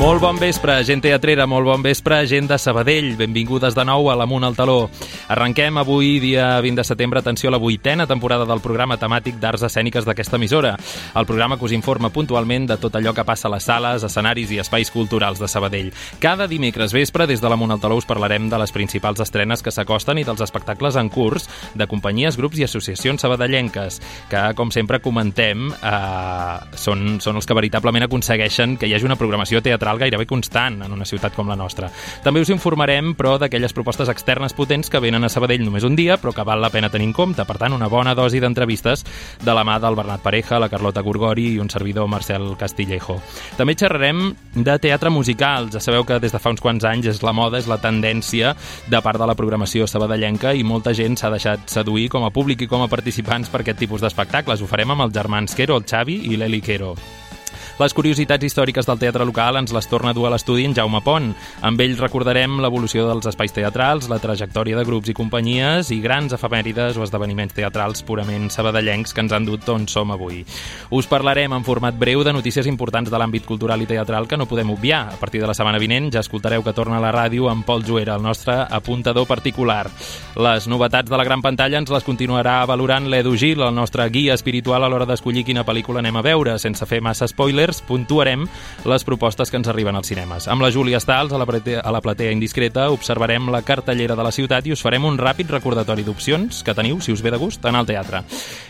Molt bon vespre, gent teatrera, molt bon vespre, gent de Sabadell. Benvingudes de nou a l'Amunt al Taló. Arrenquem avui, dia 20 de setembre, atenció a la 8a temporada del programa temàtic d'arts escèniques d'aquesta emissora. El programa que us informa puntualment de tot allò que passa a les sales, escenaris i espais culturals de Sabadell. Cada dimecres vespre, des de l'Amunt al Taló, us parlarem de les principals estrenes que s'acosten i dels espectacles en curs de companyies, grups i associacions sabadellenques, que, com sempre comentem, són els que veritablement aconsegueixen que hi hagi una programació teatral gairebé constant en una ciutat com la nostra. També us informarem, però, d'aquelles propostes externes potents que venen a Sabadell només un dia, però que val la pena tenir en compte. Per tant, una bona dosi d'entrevistes de la mà del Bernat Pareja, la Carlota Gorgori i un servidor, Marcel Castillejo. També xerrarem de teatre musical. Ja sabeu que des de fa uns quants anys és la moda, és la tendència de part de la programació sabadellenca i molta gent s'ha deixat seduir com a públic i com a participants per aquest tipus d'espectacles. Ho farem amb els germans Quero, el Xavi i l'Eli Quero. Les curiositats històriques del teatre local ens les torna a dur a l'estudi en Jaume Pont. Amb ell recordarem l'evolució dels espais teatrals, la trajectòria de grups i companyies i grans efemèrides o esdeveniments teatrals purament sabadellencs que ens han dut on som avui. Us parlarem en format breu de notícies importants de l'àmbit cultural i teatral que no podem obviar. A partir de la setmana vinent ja escoltareu que torna a la ràdio amb Pol Juera, el nostre apuntador particular. Les novetats de la gran pantalla ens les continuarà valorant l'Edu Gil, el nostre guia espiritual a l'hora d'escollir quina pel·lícula anem a veure. Sense fer massa spoilers, puntuarem les propostes que ens arriben als cinemes. Amb la Júlia Stals, a la platea indiscreta, observarem la cartellera de la ciutat i us farem un ràpid recordatori d'opcions que teniu, si us ve de gust, anar al teatre.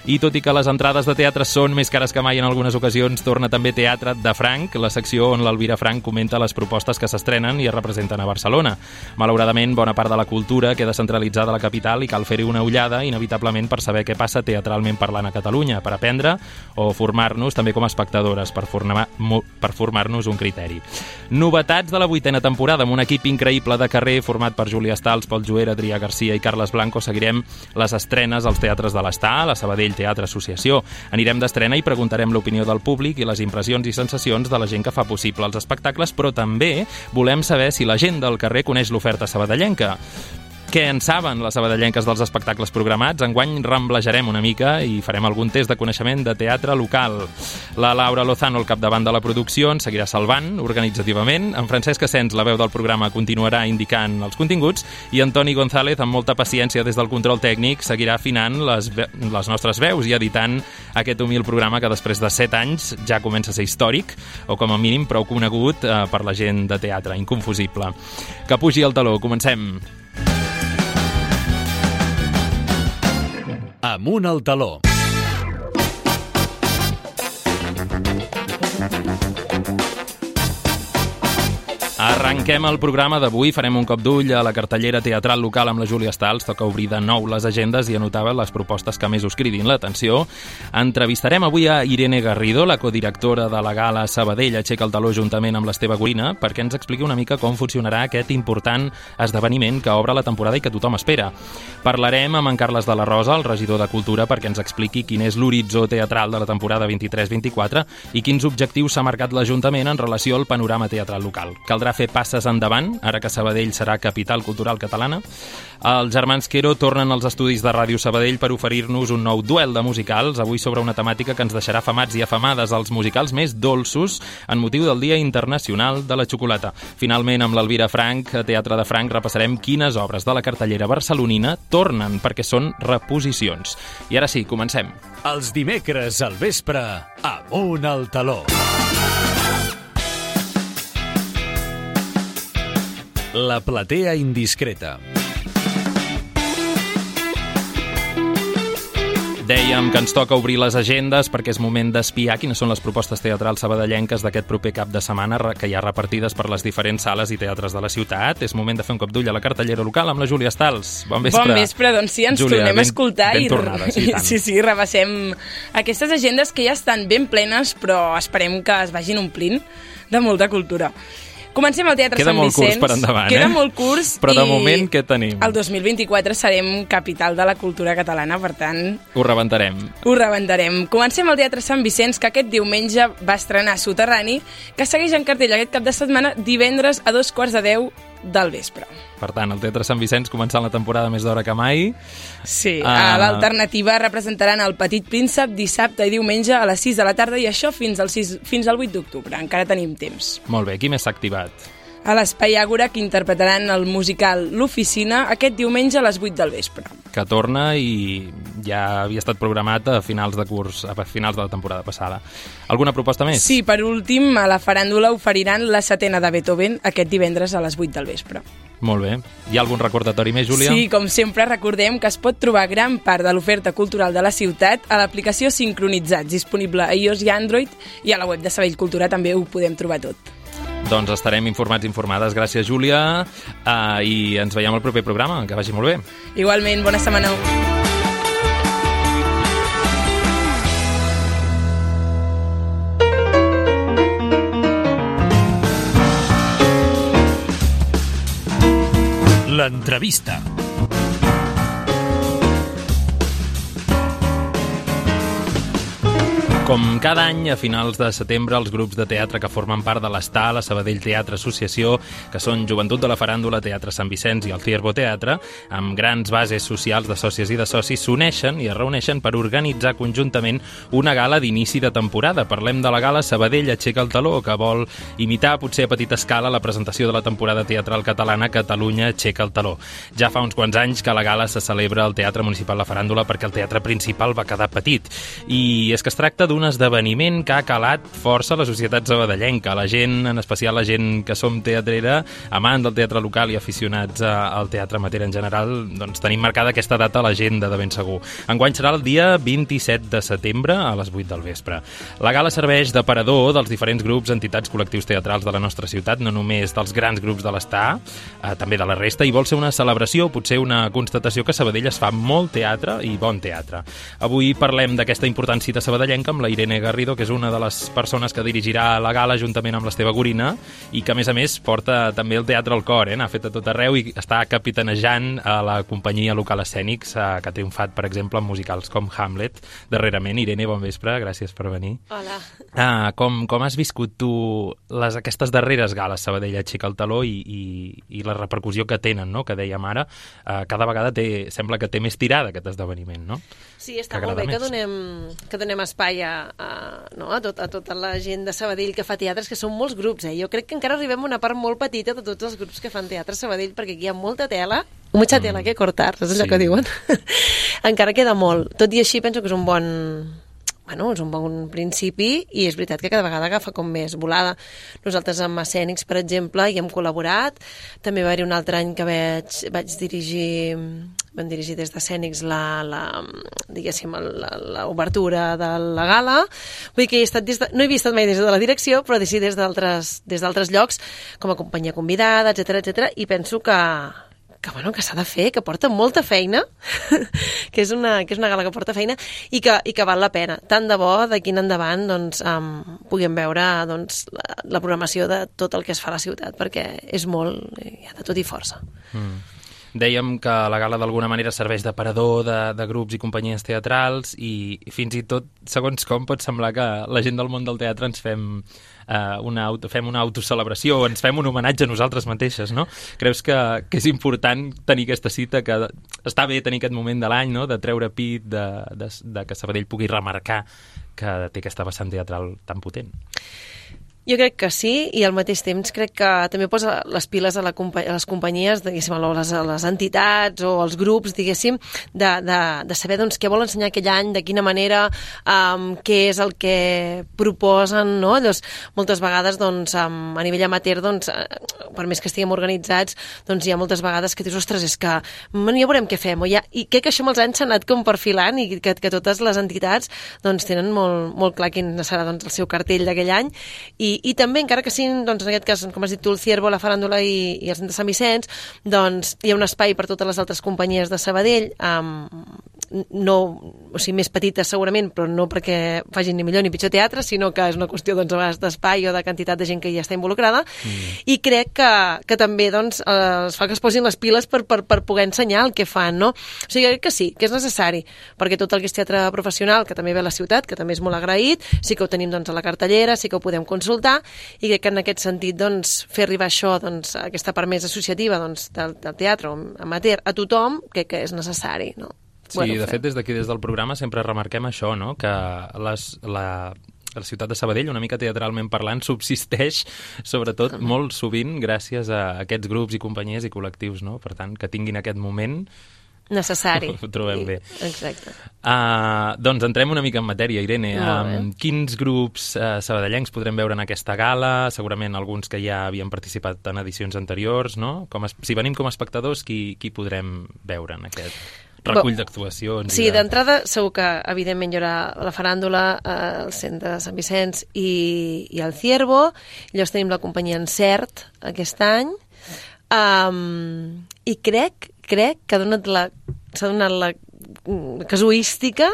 I tot i que les entrades de teatre són més cares que mai en algunes ocasions, torna també Teatre de Franc, la secció on l'Elvira Franc comenta les propostes que s'estrenen i es representen a Barcelona. Malauradament, bona part de la cultura queda centralitzada a la capital i cal fer-hi una ullada, inevitablement, per saber què passa teatralment parlant a Catalunya, per aprendre o formar-nos també com a espectadores, per formar-nos un criteri. Novetats de la 8a temporada, amb un equip increïble de carrer format per Júlia Stals, Pol Juera, Adrià Garcia i Carles Blanco. Seguirem les estrenes als teatres de l'Estar, la Sabadell Teatre Associació. Anirem d'estrena i preguntarem l'opinió del públic i les impressions i sensacions de la gent que fa possible els espectacles, però també volem saber si la gent del carrer coneix l'oferta sabadellenca. Què en saben les sabadellenques dels espectacles programats? Enguany ramblejarem una mica i farem algun test de coneixement de teatre local. La Laura Lozano, al capdavant de la producció, ens seguirà salvant organitzativament. En Francesc Asens, la veu del programa, continuarà indicant els continguts i Antoni González, amb molta paciència des del control tècnic, seguirà afinant les nostres veus i editant aquest humil programa que després de 7 anys ja comença a ser històric o com a mínim prou conegut per la gent de teatre, inconfusible. Que pugi el taló, comencem! Amunt al Taló. Arrenquem el programa d'avui, farem un cop d'ull a la cartellera teatral local amb la Júlia Stals, toca obrir de nou les agendes i anotar les propostes que més us cridin l'atenció. Entrevistarem avui a Irene Garrido, la codirectora de la Gala Sabadell Aixeca el Taló juntament amb l'Esteve Gorina, perquè ens expliqui una mica com funcionarà aquest important esdeveniment que obre la temporada i que tothom espera. Parlarem amb en Carles de la Rosa, el regidor de Cultura, perquè ens expliqui quin és l'horitzó teatral de la temporada 23-24 i quins objectius s'ha marcat l'Ajuntament en relació al panorama teatral local. Caldrà fer passes endavant, ara que Sabadell serà capital cultural catalana. Els germans Quero tornen als estudis de Ràdio Sabadell per oferir-nos un nou duel de musicals, avui sobre una temàtica que ens deixarà afamats i afamades als musicals més dolços en motiu del Dia Internacional de la Xocolata. Finalment, amb l'Elvira Franc, a Teatre de Franc, repassarem quines obres de la cartellera barcelonina tornen perquè són reposicions. I ara sí, comencem. Els dimecres al vespre, Amunt al Taló. La platea indiscreta. Dèiem que ens toca obrir les agendes perquè és moment d'espiar quines són les propostes teatrals sabadellenques d'aquest proper cap de setmana que hi ha repartides per les diferents sales i teatres de la ciutat. És moment de fer un cop d'ull a la cartellera local amb la Júlia Stals. Bon vespre. Bon vespre, doncs sí, ens Júlia, tornem a escoltar ben tornada, sí, sí, rebassem aquestes agendes que ja estan ben plenes, però esperem que es vagin omplint de molta cultura. Comencem al Teatre Sant Vicenç. Queda molt curs per endavant, Queda molt curs. Però de moment, què tenim? El 2024 serem capital de la cultura catalana, per tant... Ho rebentarem. Comencem al Teatre Sant Vicenç, que aquest diumenge va estrenar Soterrani, que segueix en cartell aquest cap de setmana divendres a 9:45 del vespre. Per tant, el Teatre Sant Vicenç començant la temporada més d'hora que mai. Sí, a l'Alternativa representaran el Petit Príncep dissabte i diumenge a les 6 de la tarda i això fins al 8 d'octubre. Encara tenim temps. Molt bé, qui més s'ha activat? A l'Espai Àgora, que interpretaran el musical L'Oficina aquest diumenge a les 8 del vespre. Que torna i ja havia estat programat a finals de curs, a finals de la temporada passada. Alguna proposta més? Sí, per últim, a la faràndula oferiran la setena de Beethoven aquest divendres a les 8 del vespre. Molt bé. Hi ha algun recordatori més, Júlia? Sí, com sempre, recordem que es pot trobar gran part de l'oferta cultural de la ciutat a l'aplicació Sincronitzats, disponible a iOS i Android, i a la web de Sabadell Cultura també ho podem trobar tot. Doncs estarem informats i informades. Gràcies, Júlia, i ens veiem al proper programa. Que vagi molt bé. Igualment, bona setmana. L'entrevista. Com cada any, a finals de setembre, els grups de teatre que formen part de l'ESTA, la Sabadell Teatre Associació, que són Joventut de la Faràndula, Teatre Sant Vicenç i el Ciervo Teatre, amb grans bases socials de sòcies i de socis, s'uneixen i es reuneixen per organitzar conjuntament una gala d'inici de temporada. Parlem de la gala Sabadell Aixeca el Taló, que vol imitar, potser a petita escala, la presentació de la temporada teatral catalana Catalunya Aixeca el Taló. Ja fa uns quants anys que la gala se celebra al Teatre Municipal La Faràndula perquè el teatre principal va quedar petit. I és que es tracta d'un esdeveniment que ha calat força a la societat sabadellenca. La gent, en especial la gent que som teatrera, amant del teatre local i aficionats al teatre amateur en general, doncs tenim marcada aquesta data a l'agenda de ben segur. Enguany serà el dia 27 de setembre a les 8 del vespre. La gala serveix d'aparador dels diferents grups, entitats, col·lectius teatrals de la nostra ciutat, no només dels grans grups de l'ESTA, també de la resta, i vol ser una celebració, potser una constatació que a Sabadell es fa molt teatre i bon teatre. Avui parlem d'aquesta important cita sabadellenca amb la Irene Garrido, que és una de les persones que dirigirà la gala juntament amb l'Esteve Gorina i que, a més, porta també el teatre al cor, n'ha fet a tot arreu i està capitanejant a la companyia local Escènics, que ha triomfat, per exemple, en musicals com Hamlet darrerament. Irene, bon vespre, gràcies per venir. Hola. Com has viscut tu aquestes darreres gales Sabadell Aixeca el Taló i la repercussió que tenen, no?, que dèiem ara, cada vegada sembla que té més tirada aquest esdeveniment, no? Sí, està molt bé que donem espai a tota la gent de Sabadell que fa teatres, que són molts grups. Jo crec que encara arribem a una part molt petita de tots els grups que fan teatre a Sabadell, perquè aquí hi ha molta tela, mucha tela que cortar, és allò que diuen. Encara queda molt. Tot i així penso que és un bon principi i és veritat que cada vegada agafa com més volada. Nosaltres amb Escènics, per exemple, hi hem col·laborat. També va haver un altre any que vaig dirigir, vam dirigir des d'Escènics l'obertura de la gala. Vull dir que no he estat mai des de la direcció, però des d'altres llocs, com a companyia convidada, etc, i penso que s'ha de fer, que porta molta feina, que és una gala que porta feina i que val la pena. Tant de bo, d'aquí en endavant, puguem veure la programació de tot el que es fa a la ciutat, perquè és molt, hi ha de tot i força. Dèiem que la gala d'alguna manera serveix d'aparador de grups i companyies teatrals i fins i tot, segons com, pot semblar que la gent del món del teatre ens fem una autocelebració, ens fem un homenatge a nosaltres mateixes, no? Creus que és important tenir aquesta cita, que està bé tenir aquest moment de l'any, no?, de treure pit, de que Sabadell pugui remarcar que té aquesta vessant teatral tan potent? Jo crec que sí, i al mateix temps crec que també posa les piles a les companyies, diguéssim, a les entitats o als grups, diguéssim, de saber què vol ensenyar aquell any, de quina manera, què és el que proposen, no? Llavors, moltes vegades, a nivell amateur, per més que estiguem organitzats, hi ha moltes vegades que dius, ostres, és que ja veurem què fem, i crec que això amb els anys s'ha anat com perfilant i que totes les entitats tenen molt clar quin serà el seu cartell d'aquell any, i també, encara que siguin, en aquest cas, com has dit tu, el Ciervo, la Faràndula i el Centre Sant Vicenç, hi ha un espai per totes les altres companyies de Sabadell no, o sigui, més petites segurament, però no perquè facin ni millor ni pitjor teatre, sinó que és una qüestió doncs, a vegades d'espai o de quantitat de gent que hi està involucrada, i crec que també doncs, es fa que es posin les piles per poder ensenyar el que fan, no? O sigui, crec que sí, que és necessari, perquè tot el que és teatre professional, que també ve a la ciutat, que també és molt agraït, sí que ho tenim doncs, a la cartellera, sí que ho podem consultar, i crec que en aquest sentit doncs, fer arribar això, doncs, aquesta part més associativa doncs, del teatre amateur a tothom, crec que és necessari, no? Sí, de fet, des d'aquí, des del programa, sempre remarquem això, no? Que la ciutat de Sabadell, una mica teatralment parlant, subsisteix, sobretot, molt sovint, gràcies a aquests grups i companyies i col·lectius, no? Per tant, que tinguin aquest moment necessari. Ho trobem bé. Exacte. Doncs entrem una mica en matèria, Irene. Quins grups sabadellencs podrem veure en aquesta gala? Segurament alguns que ja havien participat en edicions anteriors, no? Si venim com a espectadors, qui podrem veure en aquest recull d'actuacions? Sí, d'entrada segur que evidentment hi haurà la faràndula al centre de Sant Vicenç i el Ciervo. Llavors tenim la companyia Encert aquest any. I crec que s'ha donat la casuística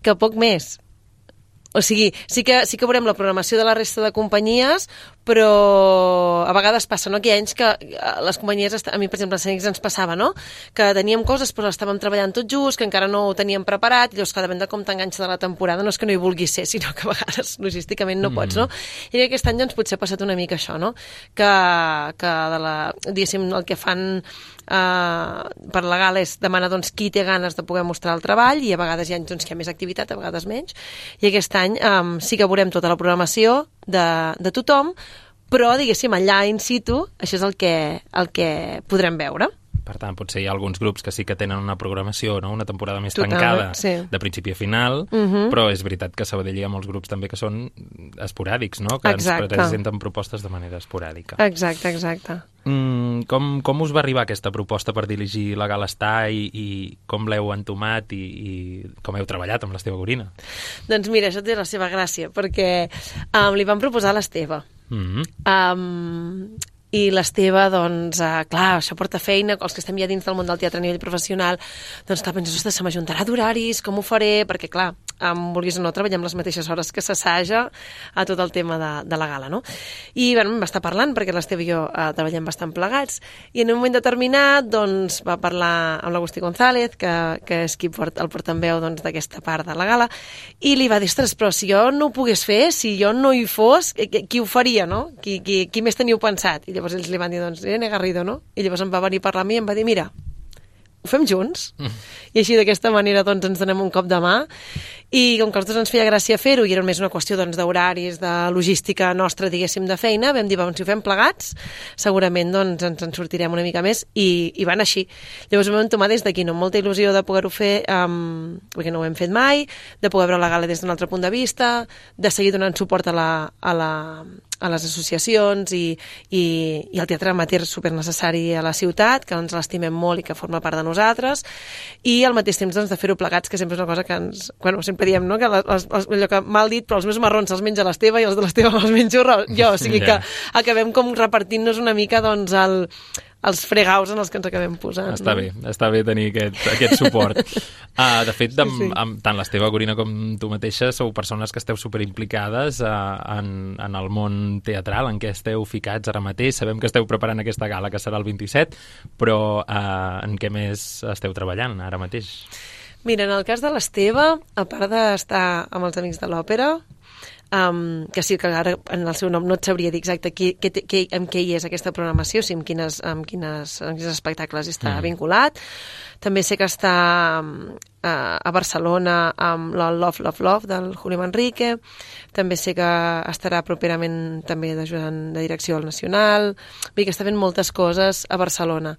que poc més. O sigui, sí que veurem la programació de la resta de companyies, però a vegades passa, no?, que hi ha anys que les companyies, a mi, per exemple, a Cènics ens passava, no?, que teníem coses però estàvem treballant tot just, que encara no ho teníem preparat, i llavors cada depèn de com t'enganxa de la temporada, no és que no hi vulguis ser, sinó que a vegades logísticament no pots, no? I aquest any doncs potser ha passat una mica això, no?, que diguéssim, el que fan per la gala és demanar doncs, qui té ganes de poder mostrar el treball, i a vegades hi ha anys doncs, que hi ha més activitat, a vegades menys, i aquest any sí que veurem tota la programació de tothom, però, diguéssim, allà in situ, això és el que podrem veure. Per tant, potser hi ha alguns grups que sí que tenen una programació, no? Una temporada més tancada, sí, de principi a final, però és veritat que a Sabadell hi ha molts grups també que són esporàdics, no? Que ens presenten propostes de manera esporàdica. Exacte. Com us va arribar aquesta proposta per dirigir la Gala Estar i com l'heu entomat i com heu treballat amb l'Esteve Gorina? Doncs mira, això té la seva gràcia, perquè li vam proposar a l'Esteve. I l'Esteve, doncs, clar, això porta feina, els que estem ja dins del món del teatre a nivell professional, doncs clar, penses, ostres, se m'ajuntarà d'horaris, com ho faré? Perquè, clar, vulguis o no, treballem les mateixes hores que s'assaja a tot el tema de la gala, no? I, bueno, em va estar parlant, perquè l'Esteve i jo treballem bastant plegats, i en un moment determinat, doncs, va parlar amb l'Agustí González, que és qui el portaveu doncs, d'aquesta part de la gala, i li va dir, ostres, però si jo no ho pogués fer, si jo no hi fos, qui ho faria, no? Qui més teniu pensat? I llavors ells li van dir, doncs, Irene Garrido, no? I llavors em va venir a parlar a mi i em va dir, mira, ho fem junts? I així d'aquesta manera doncs, ens donem un cop de mà, i com que a nosaltres ens feia gràcia fer-ho i era més una qüestió doncs, d'horaris, de logística nostra, diguéssim, de feina, vam dir, si ho fem plegats, segurament doncs, ens en sortirem una mica més, i van així. Llavors ho vam tomar des d'aquí, no? Amb molta il·lusió de poder-ho fer, perquè no ho hem fet mai, de poder veure la gala des d'un altre punt de vista, de seguir donant suport a les associacions i el teatre amateur supernecessari a la ciutat, que ens l'estimem molt i que forma part de nosaltres, i al mateix temps doncs, de fer-ho plegats, que sempre és una cosa que ens... Bueno, sempre diem, no?, que allò que mal dit, però els meus marrons els menja l'Esteve i els de l'Esteve els menjo jo, o sigui que acabem com repartint-nos una mica doncs els fregaus en els que ens acabem posant. Està bé tenir aquest suport. De fet, tant l'Esteve Gorina com tu mateixa sou persones que esteu superimplicades en el món teatral, en què esteu ficats ara mateix. Sabem que esteu preparant aquesta gala, que serà el 27, però en què més esteu treballant ara mateix? Mira, en el cas de l'Esteve, a part d'estar amb els Amics de l'Òpera, que sí que ara en el seu nom no et sabria dir exacte amb què hi és aquesta programació, o sigui, amb quins espectacles està vinculat. També sé que està a Barcelona amb la Love, Love, Love del Julio Manrique. També sé que estarà properament també d'ajudant de direcció al Nacional. Vull dir que està fent moltes coses a Barcelona.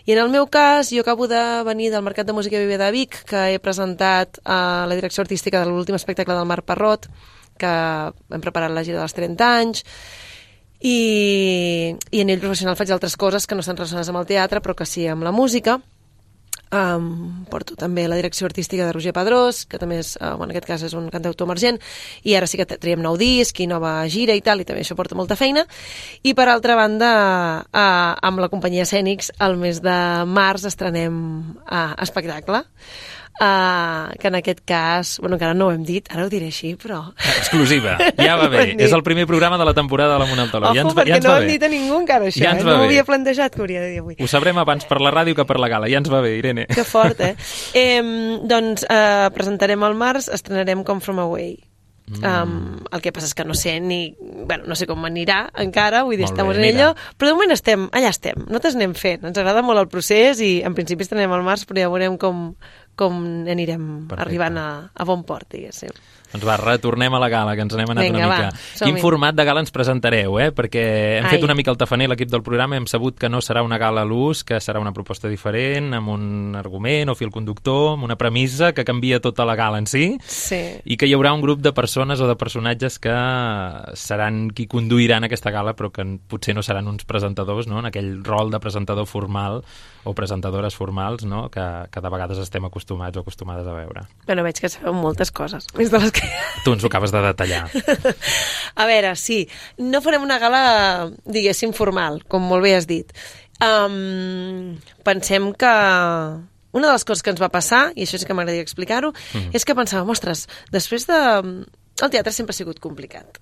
I en el meu cas, jo acabo de venir del Mercat de Música Viver de Vic, que he presentat a la direcció artística de l'últim espectacle del Marc Parrot, que hem preparat la gira dels 30 anys, i a nivell professional faig altres coses que no estan relacionades amb el teatre, però que sí amb la música. Porto també la direcció artística de Roger Pedrós, que també és, en aquest cas és un cantautor emergent, i ara sí que traiem nou disc i nova gira i tal, i també això porta molta feina. I per altra banda, amb la companyia Cènics, el mes de març estrenem espectacle. que en aquest cas, bueno, encara no ho hem dit, ara ho diré així, però... Exclusiva, ja va bé. És el primer programa de la temporada de l'Amunt al Taló. Ojo, perquè no ho hem dit a ningú encara, això. No ho havia plantejat que hauria de dir avui. Ho sabrem abans per la ràdio que per la gala. Ja ens va bé, Irene. Que fort, doncs presentarem al març, estrenarem Come From Away. El que passa és que no sé no sé com anirà encara, vull dir, estem en ello, però de moment allà estem, nosaltres anem fent, ens agrada molt el procés i en principi estrenem al març, però ja veurem com anirem arribant a bon port, diguéssim. Doncs va, retornem a la gala, que ens n'hem anat una mica. Quin format de gala ens presentareu, perquè hem fet una mica el tafaner, l'equip del programa, hem sabut que no serà una gala a l'ús, que serà una proposta diferent, amb un argument o fil conductor, amb una premissa que canvia tota la gala en si, i que hi haurà un grup de persones o de personatges que seran qui conduiran aquesta gala, però que potser no seran uns presentadors, no?, en aquell rol de presentador formal o presentadores formals, no?, que de vegades estem acostumats o acostumades a veure. Bueno, veig que sabeu moltes coses, més de les que... Tu ens ho acabes de detallar. A veure, sí, no farem una gala, diguéssim, formal, com molt bé has dit. Pensem que una de les coses que ens va passar, i això sí que m'agradaria explicar-ho, és que pensàvem, ostres, després de... El teatre sempre ha sigut complicat,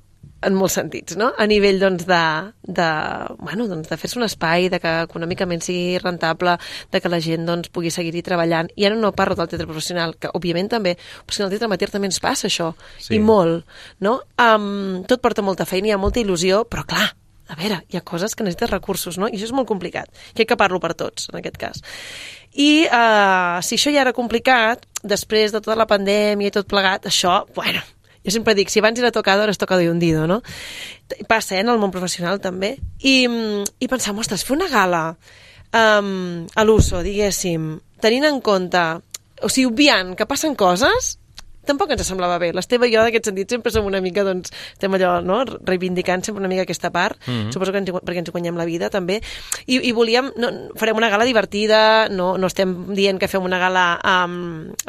en molts sentits, no? A nivell, doncs, de fer-se un espai, de que econòmicament sigui rentable, de que la gent, doncs, pugui seguir-hi treballant. I ara no parlo del teatre professional, que, òbviament, també, però és que en el teatre amateur també ens passa això, i molt, no? Tot porta molta feina, hi ha molta il·lusió, però, clar, a veure, hi ha coses que necessites recursos, no? I això és molt complicat. Crec que parlo per tots, en aquest cas. I si això ja era complicat, després de tota la pandèmia i tot plegat, això, bueno... Jo sempre dic, si abans era tocado, ara és tocado y hundido, no? Passa, en el món professional, també. I pensàvem, ostres, fer una gala a l'USO, diguéssim, tenint en compte, o sigui, obviant que passen coses, tampoc ens semblava bé. L'Esteve i jo, d'aquest sentit, sempre som una mica, doncs, estem allò, no?, reivindicant sempre una mica aquesta part, suposo que perquè ens guanyem la vida, també, i volíem, farem una gala divertida, no estem dient que fem una gala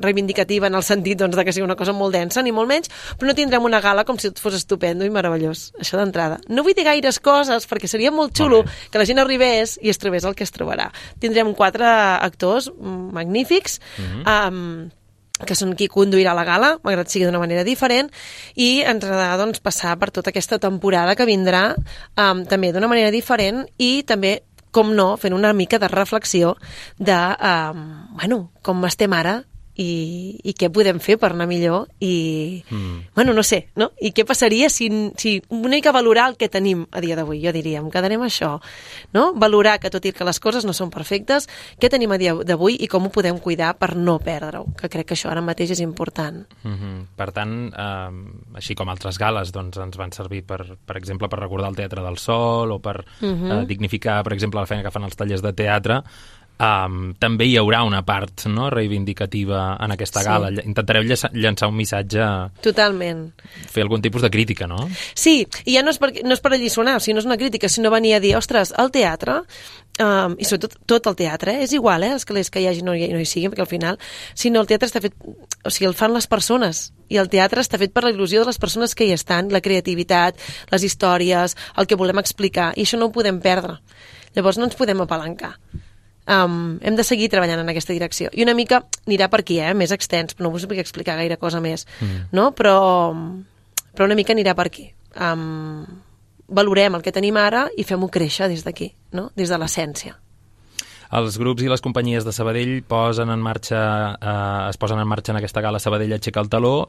reivindicativa en el sentit, doncs, de que sigui una cosa molt densa, ni molt menys, però no tindrem una gala com si tot fos estupendo i meravellós, això d'entrada. No vull dir gaires coses, perquè seria molt xulo que la gent arribés i es trobés el que es trobarà. Tindrem 4 actors magnífics, que són qui conduirà la gala, malgrat sigui d'una manera diferent, i ens agradarà, doncs, passar per tota aquesta temporada que vindrà també d'una manera diferent i també, com no, fent una mica de reflexió de, com estem ara i què podem fer per anar millor i, no sé, no? I què passaria si una mica valorar el que tenim a dia d'avui, jo diria, em quedarem això, no? Valorar que tot i que les coses no són perfectes, què tenim a dia d'avui i com ho podem cuidar per no perdre-ho, que crec que això ara mateix és important. Per tant, així com altres gales, doncs ens van servir, per exemple, per recordar el Teatre del Sol o per dignificar, per exemple, la feina que fan els tallers de teatre. També hi haurà una part, no?, reivindicativa en aquesta gala. Intentareu llançar un missatge... Totalment. Fer algun tipus de crítica, no? Sí, i ja no és per alliçonar, o sigui, no és una crítica, sinó venir a dir, ostres, el teatre, i sobretot tot el teatre, és igual, els calés que hi hagi no hi siguin, perquè al final, sinó el teatre està fet... O sigui, el fan les persones, i el teatre està fet per la il·lusió de les persones que hi estan, la creativitat, les històries, el que volem explicar, i això no ho podem perdre. Llavors no ens podem apalancar. Hem de seguir treballant en aquesta direcció i una mica anirà per aquí, més extens, però no us vull explicar gaire cosa més, no? Però una mica anirà per aquí. Valorem el que tenim ara i fem-ho créixer des d'aquí, no? Des de l'essència. Els grups i les companyies de Sabadell es posen en marxa en aquesta gala Sabadell Aixeca el Taló.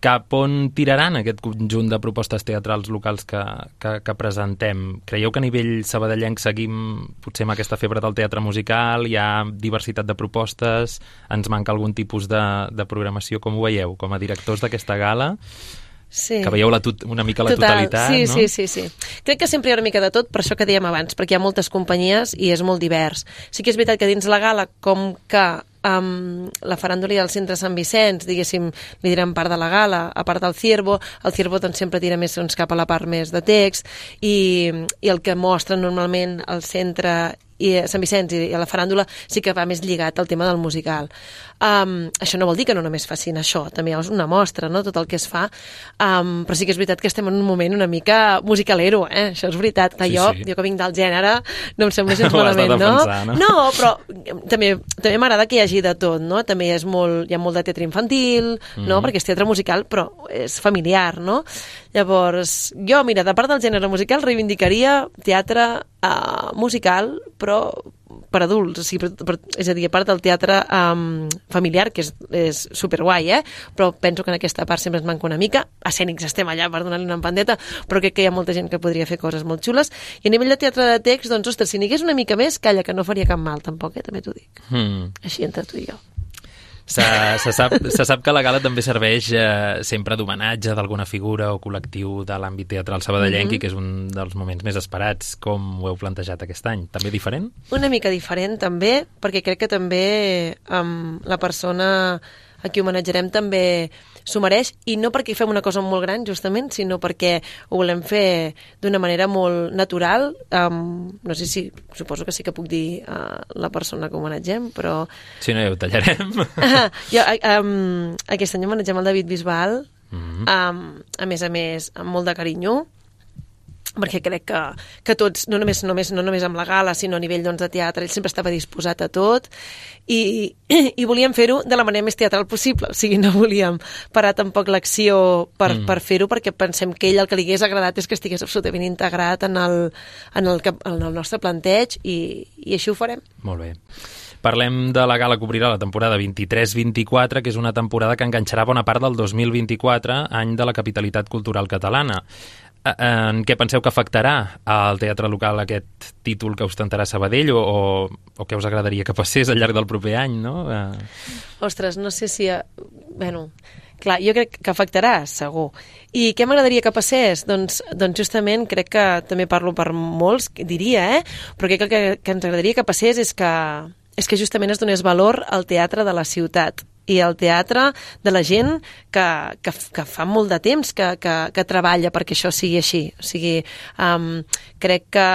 Cap on tiraran aquest conjunt de propostes teatrals locals que presentem? Creieu que a nivell sabadellenc seguim potser amb aquesta febre del teatre musical? Hi ha diversitat de propostes? Ens manca algun tipus de programació? Com ho veieu? Com a directors d'aquesta gala? Sí. Que veieu una mica la totalitat, sí, no? Sí. Crec que sempre hi ha una mica de tot, per això que dèiem abans, perquè hi ha moltes companyies i és molt divers. Sí que és veritat que dins la gala, com que la faràndula del centre Sant Vicenç, diguéssim, li direm part de la gala, a part del Ciervo, el Ciervo doncs, sempre tira més cap a la part més de text, i el que mostra normalment el centre Sant Vicenç i a la faràndula sí que va més lligat al tema del musical. Això no vol dir que no només facin això, també és una mostra, no?, tot el que es fa, però sí que és veritat que estem en un moment una mica musicalero, això és veritat. Clar, jo que vinc del gènere, no em sembla gens malament, no? No, però també m'agrada que hi hagi de tot, no? També hi ha molt de teatre infantil, no?, perquè és teatre musical, però és familiar, no? Llavors, jo, mira, de part del gènere musical reivindicaria teatre musical, però per adults, és a dir, a part del teatre familiar, que és superguai, però penso que en aquesta part sempre ens manca una mica. Escènics estem allà per donar-li una empandeta, però crec que hi ha molta gent que podria fer coses molt xules. I a nivell de teatre de text, doncs, ostres, si n'hi hagués una mica més, calla, que no faria cap mal, tampoc, també t'ho dic. Així entre tu i jo. Se sap que la gala també serveix sempre d'homenatge d'alguna figura o col·lectiu de l'àmbit teatral sabadellenc, que és un dels moments més esperats. Com ho heu plantejat aquest any? També diferent? Una mica diferent, també, perquè crec que també la persona a qui homenatjarem també s'ho mereix, i no perquè fem una cosa molt gran, justament, sinó perquè ho volem fer d'una manera molt natural. No sé si, suposo que sí que puc dir la persona que homenatgem, però... Si no, ja ho tallarem. Aquest any homenatgem el David Bisbal, a més, amb molt de carinyo, perquè crec que tots, no només amb la gala, sinó a nivell de teatre, ell sempre estava disposat a tot, i volíem fer-ho de la manera més teatral possible, o sigui, no volíem parar tampoc l'acció per fer-ho, perquè pensem que ell el que li hagués agradat és que estigués absolutament integrat en el nostre planteig, i així ho farem. Molt bé. Parlem de la gala que obrirà la temporada 23-24, que és una temporada que enganxarà bona part del 2024, any de la capitalitat cultural catalana. En què penseu que afectarà al teatre local aquest títol que ostentarà Sabadell, o què us agradaria que passés al llarg del proper any, no? Ostres, no sé si... Bueno, clar, jo crec que afectarà, segur. I què m'agradaria que passés? Doncs justament crec que també parlo per molts, diria, però crec que ens agradaria que passés és que justament es donés valor al teatre de la ciutat i al teatre de la gent que fa molt de temps que treballa perquè això sigui així. O sigui, crec que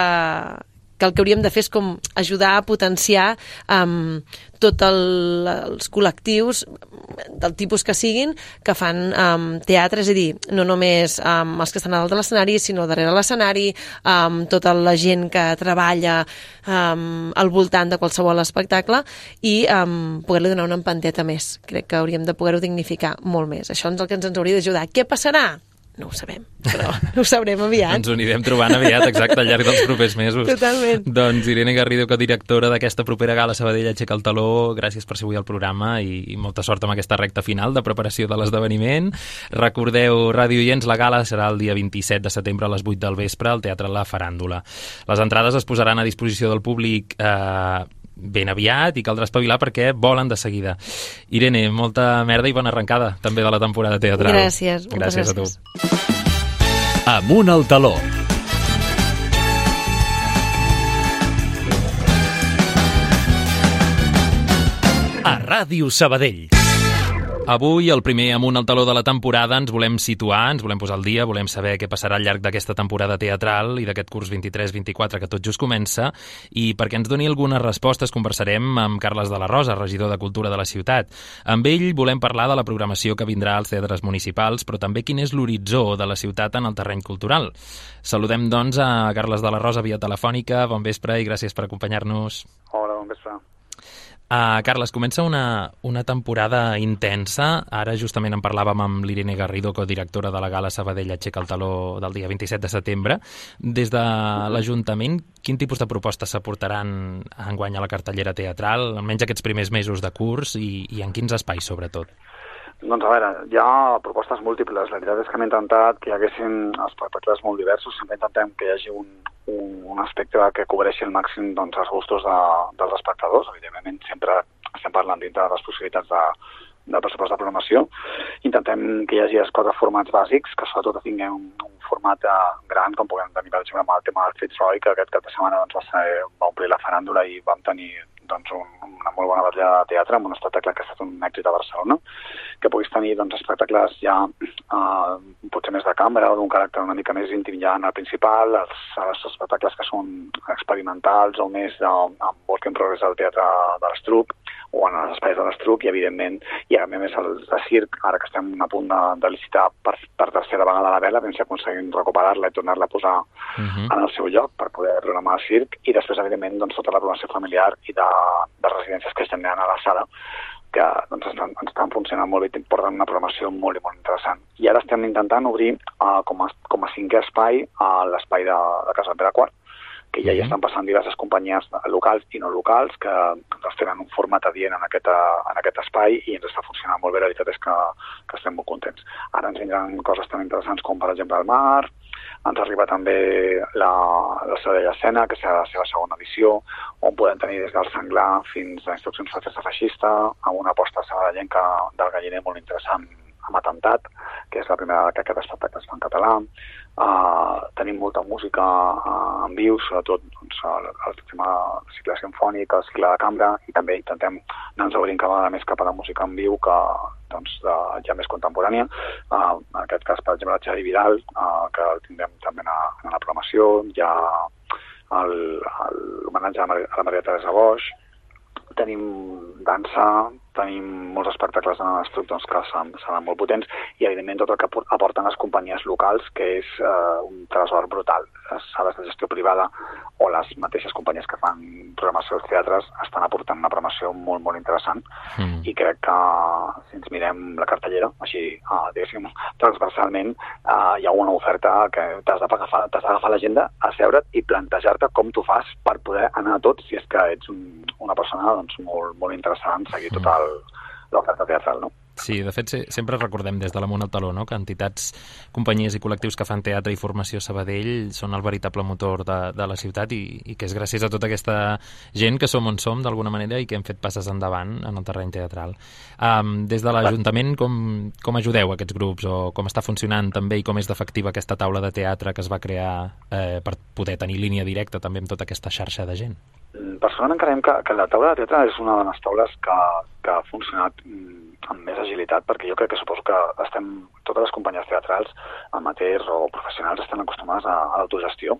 el que hauríem de fer és com ajudar a potenciar tots els col·lectius del tipus que siguin que fan teatre, és a dir, no només els que estan a dalt de l'escenari, sinó darrere l'escenari, tota la gent que treballa al voltant de qualsevol espectacle, i poder-li donar una empanteta més. Crec que hauríem de poder-ho dignificar molt més. Això és el que ens hauria d'ajudar. Què passarà? No ho sabem, però ho sabrem aviat. Ens ho anirem trobant aviat, exacte, al llarg dels propers mesos. Totalment. Doncs Irene Garrido, codirectora d'aquesta propera gala Sabadell Aixeca el Taló, gràcies per ser avui al programa i molta sort amb aquesta recta final de preparació de l'esdeveniment. Recordeu, ràdio oients, la gala serà el dia 27 de setembre a les 8 del vespre al Teatre La Faràndula. Les entrades es posaran a disposició del públic ben aviat, i caldrà espavilar perquè volen de seguida. Irene, molta merda i bona arrencada també de la temporada teatral. Gràcies, moltes gràcies. A tu. Amunt al taló. A Ràdio Sabadell. Avui, el primer Amunt al Taló de la temporada, ens volem situar, ens volem posar al dia, volem saber què passarà al llarg d'aquesta temporada teatral i d'aquest curs 23-24 que tot just comença, i perquè ens doni algunes respostes conversarem amb Carles de la Rosa, regidor de Cultura de la ciutat. Amb ell volem parlar de la programació que vindrà als teatres municipals, però també quin és l'horitzó de la ciutat en el terreny cultural. Saludem, doncs, a Carles de la Rosa via telefònica. Bon vespre i gràcies per acompanyar-nos. Hola, bon vespre. Carles, comença una temporada intensa. Ara justament en parlàvem amb l'Irene Garrido, codirectora de la gala Sabadell Aixeca el Taló del dia 27 de setembre. Des de l'Ajuntament, quin tipus de propostes s'aportaran enguany a la cartellera teatral, almenys aquests primers mesos de curs, i en quins espais, sobretot? Doncs a veure, hi ha propostes múltiples. La veritat és que hem intentat que hi haguessin espectacles molt diversos. Sempre intentem que hi hagi un espectre que cobreixi al màxim doncs, els gustos dels espectadors. Evidentment, sempre estem parlant dintre de les possibilitats de pressupost de programació. Intentem que hi hagi els 4 formats bàsics, que sobretot tinguem un format gran, com puguem tenir, per exemple, amb el tema del Fitzroy, que aquest cap de setmana doncs, va omplir la faràndula i vam tenir doncs, una molt bona batalla de teatre amb un espectacle que ha estat un èxit a Barcelona, que puguis tenir doncs, espectacles ja potser més de cambra o d'un caràcter una mica més íntim ja en el principal, els espectacles que són experimentals o més amb work in progress del teatre de l'Estruc o en els espais de l'Estruc i, evidentment, i a més el de circ, ara que estem a punt de licitar per tercera vegada la vela, si aconseguim recuperar-la i tornar-la a posar en el seu lloc per poder programar el circ, i després, evidentment, doncs, tota la programació familiar i de residències que estem anant a la sala, que doncs, ens estan funcionant molt bé i porten una programació molt i molt interessant. I ara estem intentant obrir com a cinquè espai l'espai de Casa Pere IV, que ja hi estan passant diverses companyies locals i no locals que doncs, tenen un format adient en aquest espai i ens està funcionant molt bé. La veritat és que estem molt contents. Ara ens vindran coses tan interessants com, per exemple, el mar, ens arriba també la Sabadell Escena, que serà la seva segona edició, on podem tenir des del senglar fins a instruccions de festa feixista, amb una aposta sabadellenca del galliner molt interessant amb Atemptat, que és la primera vegada que aquest espectacle es fa en català. Tenim molta música en viu, sobretot doncs, el tema del cicle sinfònic, el cicle de cambra, i també intentem anar-nos obrint cada vegada més cap a la música en viu que doncs, ja més contemporània. En aquest cas, per exemple, el Xavi Vidal, que el tindrem també en la programació, hi ha l'homenatge a la Maria Teresa Boix, tenim dansa, tenim molts espectacles en l'Estruc doncs, que seran molt potents i, evidentment, tot el que aporten les companyies locals, que és un tresor brutal. Les sales de gestió privada o les mateixes companyies que fan programació als teatres estan aportant una programació molt, molt interessant i crec que si ens mirem la cartellera, així, diguéssim, transversalment, hi ha una oferta que t'has d'agafar l'agenda, asseure't i plantejar-te com t'ho fas per poder anar a tot si és que ets una persona doncs, molt, molt interessant, seguir tota l'oferta teatral, no? Sí, de fet, sempre recordem des de l'Amunt al Taló, no?, que entitats, companyies i col·lectius que fan teatre i formació a Sabadell són el veritable motor de la ciutat i que és gràcies a tota aquesta gent que som on som, d'alguna manera, i que hem fet passes endavant en el terreny teatral. Des de l'Ajuntament, com ajudeu aquests grups o com està funcionant també i com és d'efectiva aquesta taula de teatre que es va crear per poder tenir línia directa també amb tota aquesta xarxa de gent? Personalment creiem que la taula de teatre és una de les taules que ha funcionat amb més agilitat, perquè jo crec que suposo que totes les companyies teatrals, amateurs o professionals, estan acostumades a l'autogestió.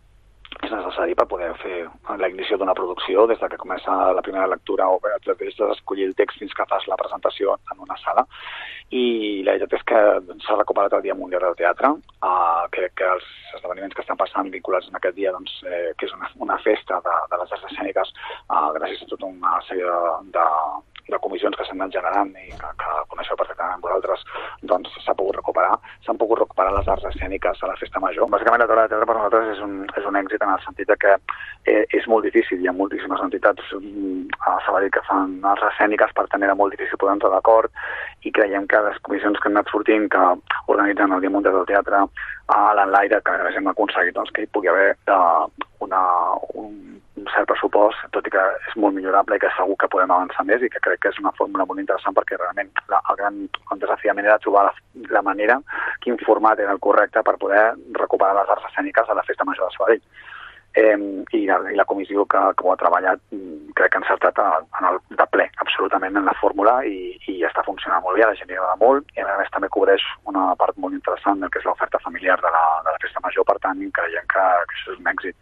És necessari per poder fer la ignició d'una producció des de que comença la primera lectura o des d'escollir el text fins que fas la presentació en una sala. I la veritat és que s'ha recuperat el Dia Mundial del Teatre. Crec que els esdeveniments que estan passant vinculats en aquest dia, doncs, que és una festa de les arts escèniques, gràcies a tota una sèrie de comissions que s'han anat generant i que coneixeu perfectament vosaltres, doncs s'han pogut recuperar les arts escèniques a la festa major. Bàsicament la taula de teatre per nosaltres és un èxit en el sentit que és molt difícil, hi ha moltíssimes entitats a Sabadell que fan arts escèniques, per tant era molt difícil poder entrar d'acord i creiem que les comissions que han anat sortint, que organitzen el Dia Mundial del Teatre a l'Enlaire, que a més hem aconseguit doncs, que hi pugui haver un cert pressupost, tot i que és molt millorable i que segur que podem avançar més i que crec que és una fórmula molt interessant perquè realment el gran desafiament era trobar la manera, quin format era el correcte per poder recuperar les arts escèniques a la Festa Major de Sabadell. I la comissió que ho ha treballat crec que ha encertat de ple absolutament en la fórmula i està funcionant molt bé, la gent hi agrada molt i a més també cobreix una part molt interessant del que és l'oferta familiar de la Festa Major, per tant creiem que això és un èxit.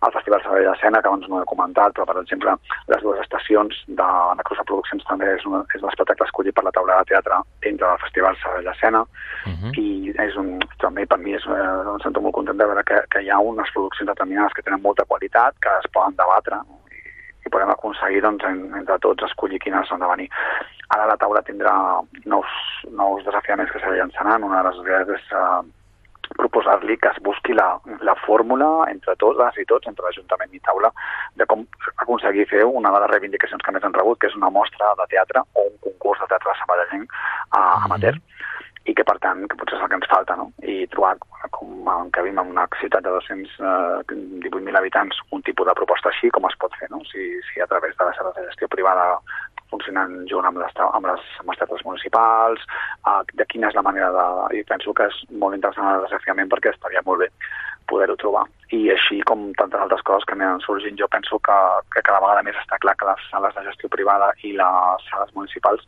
El Festival Sabadell Escena, que abans no he comentat, però per exemple les dues estacions de la Cruz de Produccions també és l'espectacle escollit per la taula de teatre dintre del Festival Sabadell Escena i també per mi em sento molt content de veure que hi ha unes produccions determinades que tenen molta qualitat, que es poden debatre i podem aconseguir doncs, entre tots escollir quines han de venir. Ara la taula tindrà nous desafiaments que s'hi llançaran. Una de les idees és proposar-li que es busqui la fórmula entre totes i tots, entre l'Ajuntament i taula, de com aconseguir fer una de les reivindicacions que més han rebut, que és una mostra de teatre o un concurs de teatre sabadellenc amateur. I que, per tant, que potser és el que ens falta, no? I trobar, com que vivim en una ciutat de 218.000 habitants, un tipus de proposta així, com es pot fer, no? Si a través de la sala de gestió privada funcionant junt amb les teatres municipals, de quina és la manera I penso que és molt interessant el desafiament perquè estaria molt bé poder-ho trobar. i així com tantes altres coses que aniran sorgint, jo penso que cada vegada més està clar que les sales de gestió privada i les sales municipals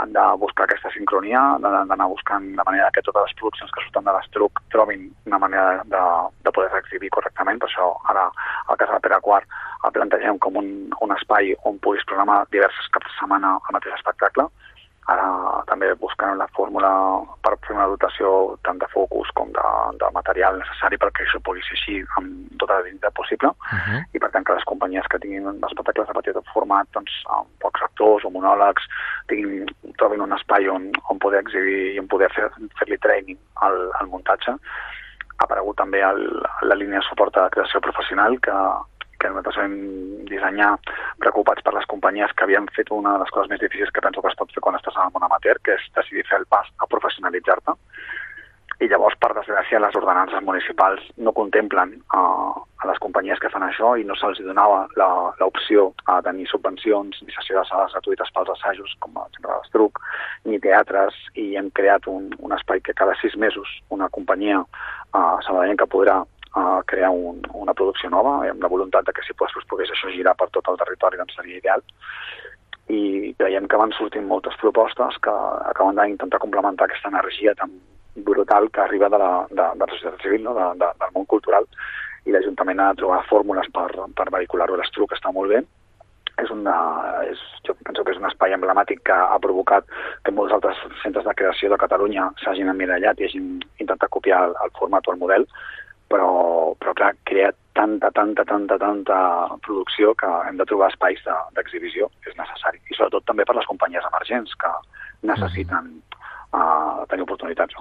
han de buscar aquesta sincronia, d'anar buscant de manera que totes les produccions que surten de l'Estruc trobin una manera de poder exhibir correctament. Per això ara al Casal Pere IV el plantegem com un espai on puguis programar diverses caps de setmana al mateix espectacle. Ara també buscant la fórmula per fer una dotació tant de focus com de material necessari perquè això pugui ser així amb tota la dignitat possible. I per tant que les companyies que tinguin espectacles de petit format, doncs, amb pocs actors o monòlegs, trobin un espai on poder exhibir i on poder fer-li training al muntatge. Ha aparegut també la línia de suport a la creació professional que nosaltres vam dissenyar preocupats per les companyies que havien fet una de les coses més difícils que penso que es pot fer quan estàs en el món amateur, que és decidir fer el pas a professionalitzar-te. I llavors, per desgràcia, les ordenances municipals no contemplen a les companyies que fan això i no se'ls donava l'opció a tenir subvencions ni sessió de sales gratuïtes pels assajos, com el Centre de l'Estruc, ni teatres, i hem creat un espai que cada 6 mesos una companyia sabadellenca podrà crear una producció nova, amb la voluntat que si pogués això girar per tot el territori, doncs seria ideal. I creiem que van sortint moltes propostes que acaben d'intentar complementar aquesta energia tan brutal que arriba de la societat civil, no? del món cultural, i l'Ajuntament ha de trobar fórmules per vehicular-ho. L'Estruc està molt bé. Jo penso que és un espai emblemàtic que ha provocat que molts altres centres de creació de Catalunya s'hagin emmirallat i hagin intentat copiar el format o el model, però clar, crea tanta producció que hem de trobar espais d'exhibició, és necessari. I sobretot també per les companyies emergents que necessiten tenir oportunitats.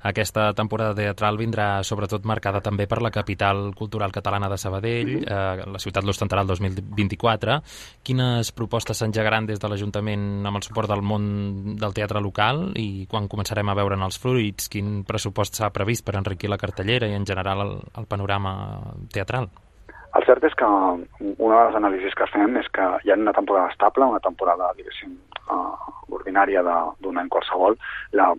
Aquesta temporada teatral vindrà sobretot marcada també per la capital cultural catalana de Sabadell. La ciutat l'ostentarà el 2024. Quines propostes s'engegaran des de l'Ajuntament amb el suport del món del teatre local i quan començarem a veure'n els fruits? Quin pressupost s'ha previst per enriquir la cartellera i en general el panorama teatral? El cert és que una de les anàlisis que fem és que hi ha una temporada estable, una temporada, diguéssim, ordinària d'un any qualsevol. La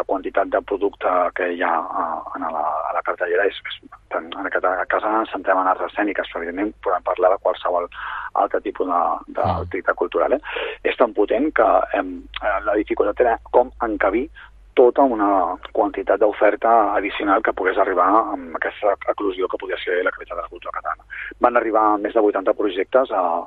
quantitat de producte que hi ha a la cartellera és en aquest cas ens centrem en arts escèniques, però evidentment podem parlar de qualsevol altre tipus d'activitat cultural. És tan potent que la dificultat era com encabir tota una quantitat d'oferta addicional que pogués arribar amb aquesta eclosió que podia ser la capital de la cultura catalana. Van arribar més de 80 projectes a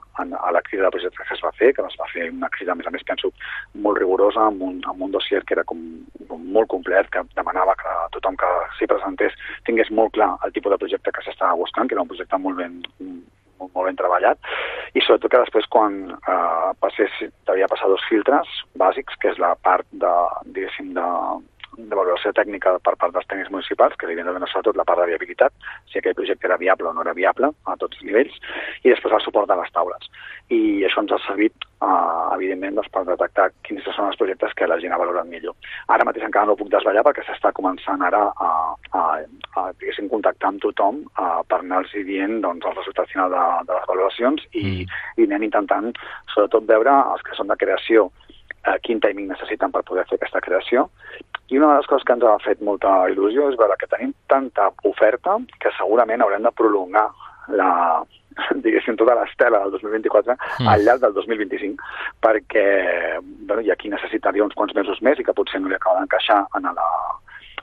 la crida de projectes que es va fer, que es va fer una crida, a més, penso, molt rigorosa, amb un dossier que era com molt complet, que demanava que tothom que s'hi presentés tingués molt clar el tipus de projecte que s'estava buscant, que era un projecte molt ben treballat, i sobretot que després quan devia passar 2 filtres bàsics, que és la part de valoració tècnica per part dels tècnics municipals, que evidentment sobretot la part de viabilitat, si aquell projecte era viable o no era viable a tots els nivells, i després el suport de les taules. I això ens ha servit, evidentment, per detectar quins són els projectes que la gent ha valorat millor. Ara mateix encara no ho puc desvetllar perquè s'està començant ara a contactar amb tothom per anar-los dient el resultat final de les valoracions i anem intentant, sobretot, veure els que són de creació quin timing necessiten per poder fer aquesta creació. I una de les coses que ens ha fet molta il·lusió és veure que tenim tanta oferta que segurament haurem de prolongar tota l'estela del 2024 al llarg del 2025, perquè hi ha qui necessitaria uns quants mesos més i que potser no li acaba d'encaixar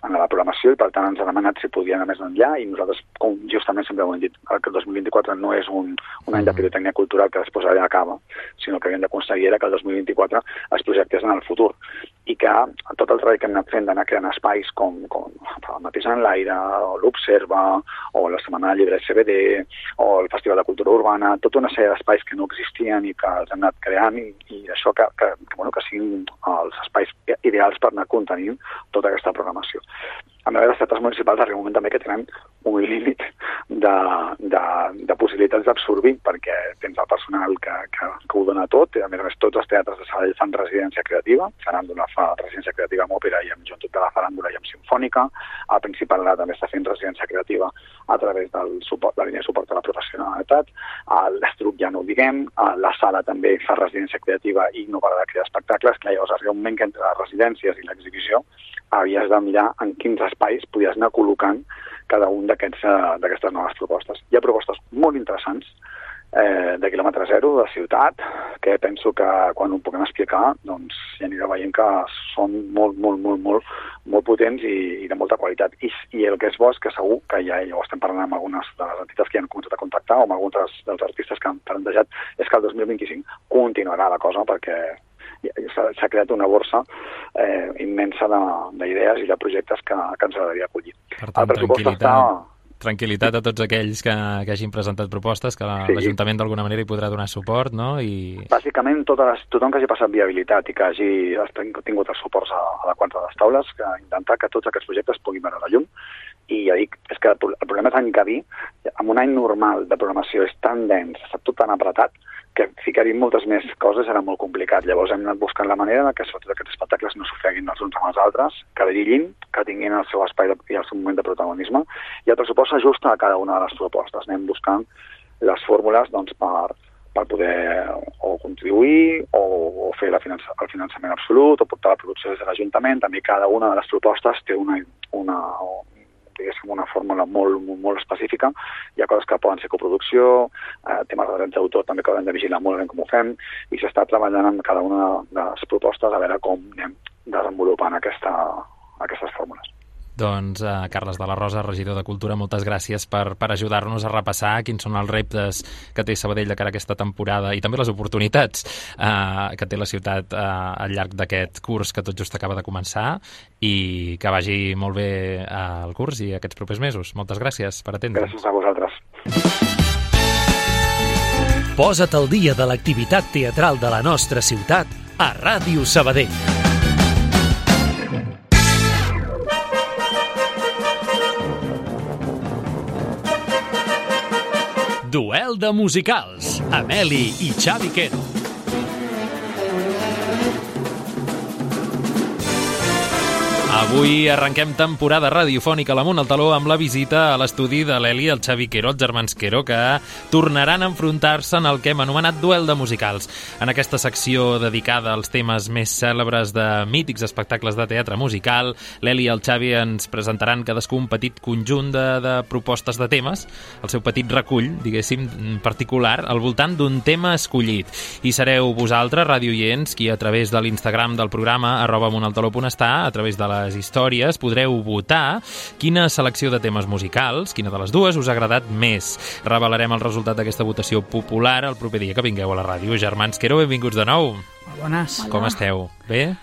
en la programació, i per tant ens ha demanat si podia anar més enllà, i nosaltres, com justament sempre ho hem dit, que el 2024 no és un any de pirotècnia cultural que després allà acaba, sinó que havíem d'aconseguir que el 2024 es projectés en el futur, i que tot el treball que hem anat fent d'anar creant espais com el mateix en l'aire, o l'Observa, o la Setmana del Llibre CBD, o el Festival de Cultura Urbana, tota una sèrie d'espais que no existien i que els hem anat creant, i això que siguin els espais ideals per anar contenint tota aquesta programació. A més, les teatres municipals arriba un moment també que tenen un límit de possibilitats d'absorbir, perquè tens el personal que ho dona tot, i a més tots els teatres de Sabadell fan residència creativa, seran d'una fa residència creativa amb òpera i amb Joventut de la Faràndula i amb Simfònica. El Principal també està fent residència creativa a través del suport, la línia de suport a la professionalitat. L'Estruc ja no ho diguem. La Sala també fa residència creativa i no para de crear espectacles. Clar, llavors arriba un moment que entre les residències i l'exhibició havies de mirar en quins espais podies anar col·locant cada un d'aquestes noves propostes. Hi ha propostes molt interessants de quilòmetre zero, de ciutat, que penso que quan ho puguem explicar doncs ja anirà veient que són molt potents i de molta qualitat. I el que és bo és que segur que ja ho estem parlant amb algunes de les entitats que ja han començat a contactar o amb alguns dels artistes que han plantejat, és que el 2025 continuarà la cosa perquè s'ha creat una borsa immensa d'idees i de projectes que ens agradaria acollir. Per tant, tranquil·litat a tots aquells que hagin presentat propostes, que l'Ajuntament d'alguna manera hi podrà donar suport, no? Bàsicament, tothom que hagi passat viabilitat i que hagi tingut els suports adequats a les taules, que intentar que tots aquests projectes puguin veure la llum. I ja dic, és que el problema és encabir, en un any normal de programació és tan dens, està tot tan apretat, que ficar-hi moltes més coses era molt complicat. Llavors hem anat buscant la manera que sobretot aquests espectacles no s'ofeguin els uns amb els altres, que brillin, que tinguin el seu espai i el seu moment de protagonisme, i el pressupost s'ajusta a cada una de les propostes. Anem buscant les fórmules doncs, per poder o contribuir o fer el finançament absolut o portar la producció des de l'Ajuntament. També cada una de les propostes té una fórmula molt específica. Hi ha coses que poden ser coproducció, temes de drets d'autor també que haurem de vigilar molt ben com ho fem, i s'està treballant en cada una de les propostes a veure com anem desenvolupant aquestes fórmules. Doncs Carles de la Rosa, regidor de Cultura, moltes gràcies per ajudar-nos a repassar quins són els reptes que té Sabadell de cara a aquesta temporada i també les oportunitats que té la ciutat al llarg d'aquest curs que tot just acaba de començar, i que vagi molt bé el curs i aquests propers mesos. Moltes gràcies per atendre'ns. Gràcies a vosaltres. Posa't al dia de l'activitat teatral de la nostra ciutat a Ràdio Sabadell. Duel de musicals, Ameli i Xavi Quero. Avui arrenquem temporada radiofònica a l'Amunt al Taló amb la visita a l'estudi de l'Eli i el Xavi Quero, els germans Quero, que tornaran a enfrontar-se en el que hem anomenat duel de musicals. En aquesta secció dedicada als temes més cèlebres de mítics espectacles de teatre musical, l'Eli i el Xavi ens presentaran cadascú un petit conjunt de propostes de temes, el seu petit recull, diguéssim, particular, al voltant d'un tema escollit. I sereu vosaltres, radioients, qui a través de l'Instagram del programa @amunaltaló.està, a través de les històries, podreu votar quina selecció de temes musicals, quina de les dues, us ha agradat més. Revelarem el resultat d'aquesta votació popular el proper dia que vingueu a la ràdio. Germans Quero, benvinguts de nou. Bones. Com esteu? Bé?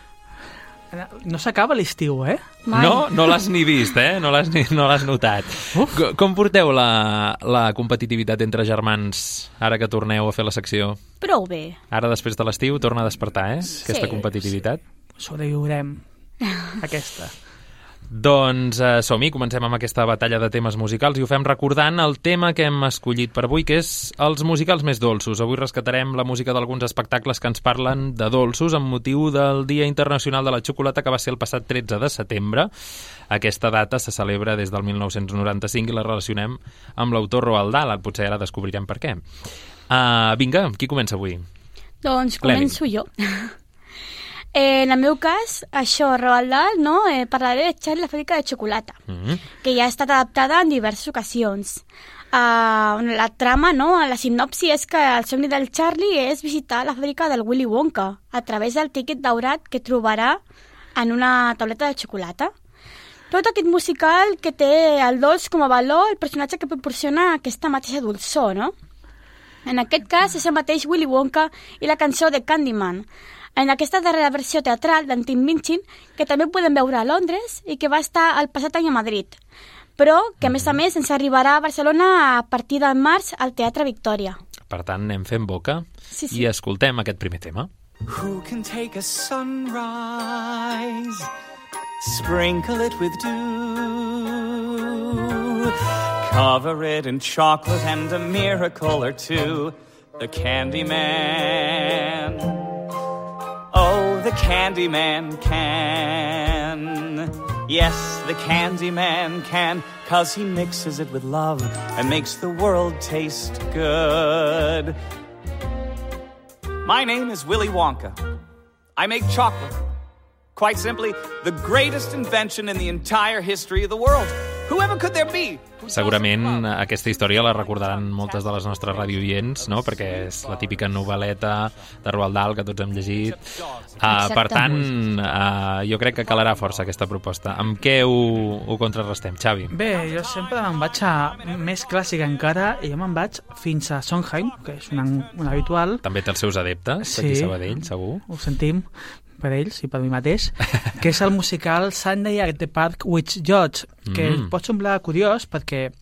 No s'acaba l'estiu, eh? No l'has ni vist, eh? No l'has notat. Com porteu la competitivitat entre germans ara que torneu a fer la secció? Prou bé. Ara, després de l'estiu, torna a despertar, aquesta competitivitat? Sobreviurem. Aquesta. Doncs som-hi, comencem amb aquesta batalla de temes musicals i ho fem recordant el tema que hem escollit per avui, que és els musicals més dolços. Avui rescatarem la música d'alguns espectacles que ens parlen de dolços amb motiu del Dia Internacional de la Xocolata, que va ser el passat 13 de setembre. Aquesta data se celebra des del 1995 i la relacionem amb l'autor Roald Dahl. Potser ara descobrirem per què. Vinga, qui comença avui? Doncs començo jo. En el meu cas, això, Roald Dahl, no? Parlaré de Charlie la fàbrica de xocolata, que ja ha estat adaptada en diverses ocasions. La trama, no? La sinopsi és que el somni del Charlie és visitar la fàbrica del Willy Wonka a través del tiquet daurat que trobarà en una tauleta de xocolata. Tot aquest musical que té el dolç com a valor, el personatge que proporciona aquesta mateixa dolçor, no? En aquest cas és el mateix Willy Wonka i la cançó de Candyman, en aquesta darrera versió teatral d'en Tim Minchin, que també podem veure a Londres i que va estar el passat any a Madrid, però que a més ens arribarà a Barcelona a partir del març al Teatre Victòria. Per tant, anem fent boca i escoltem aquest primer tema. Who can take a sunrise, sprinkle it with dew, cover it in chocolate and a miracle or two, the Candyman. Oh, the Candyman can. Yes, the Candyman can, 'cause he mixes it with love and makes the world taste good. My name is Willy Wonka. I make chocolate. Quite simply, the greatest invention in the entire history of the world. Whoever could there be? Segurament aquesta història la recordaran moltes de les nostres radioients, no? Perquè és la típica novel·leta de Roald Dahl que tots hem llegit. Per tant, jo crec que calarà força aquesta proposta. Amb què ho contrarrestem, Xavi? Bé, jo sempre me'n vaig a més clàssica encara, i jo me'n vaig fins a Sondheim, que és un habitual. També té els seus adeptes, aquí a Sabadell, segur. Ho sentim per ells i per mi mateix, que és el musical Sunday at the Park with George, que pot semblar curiós perquè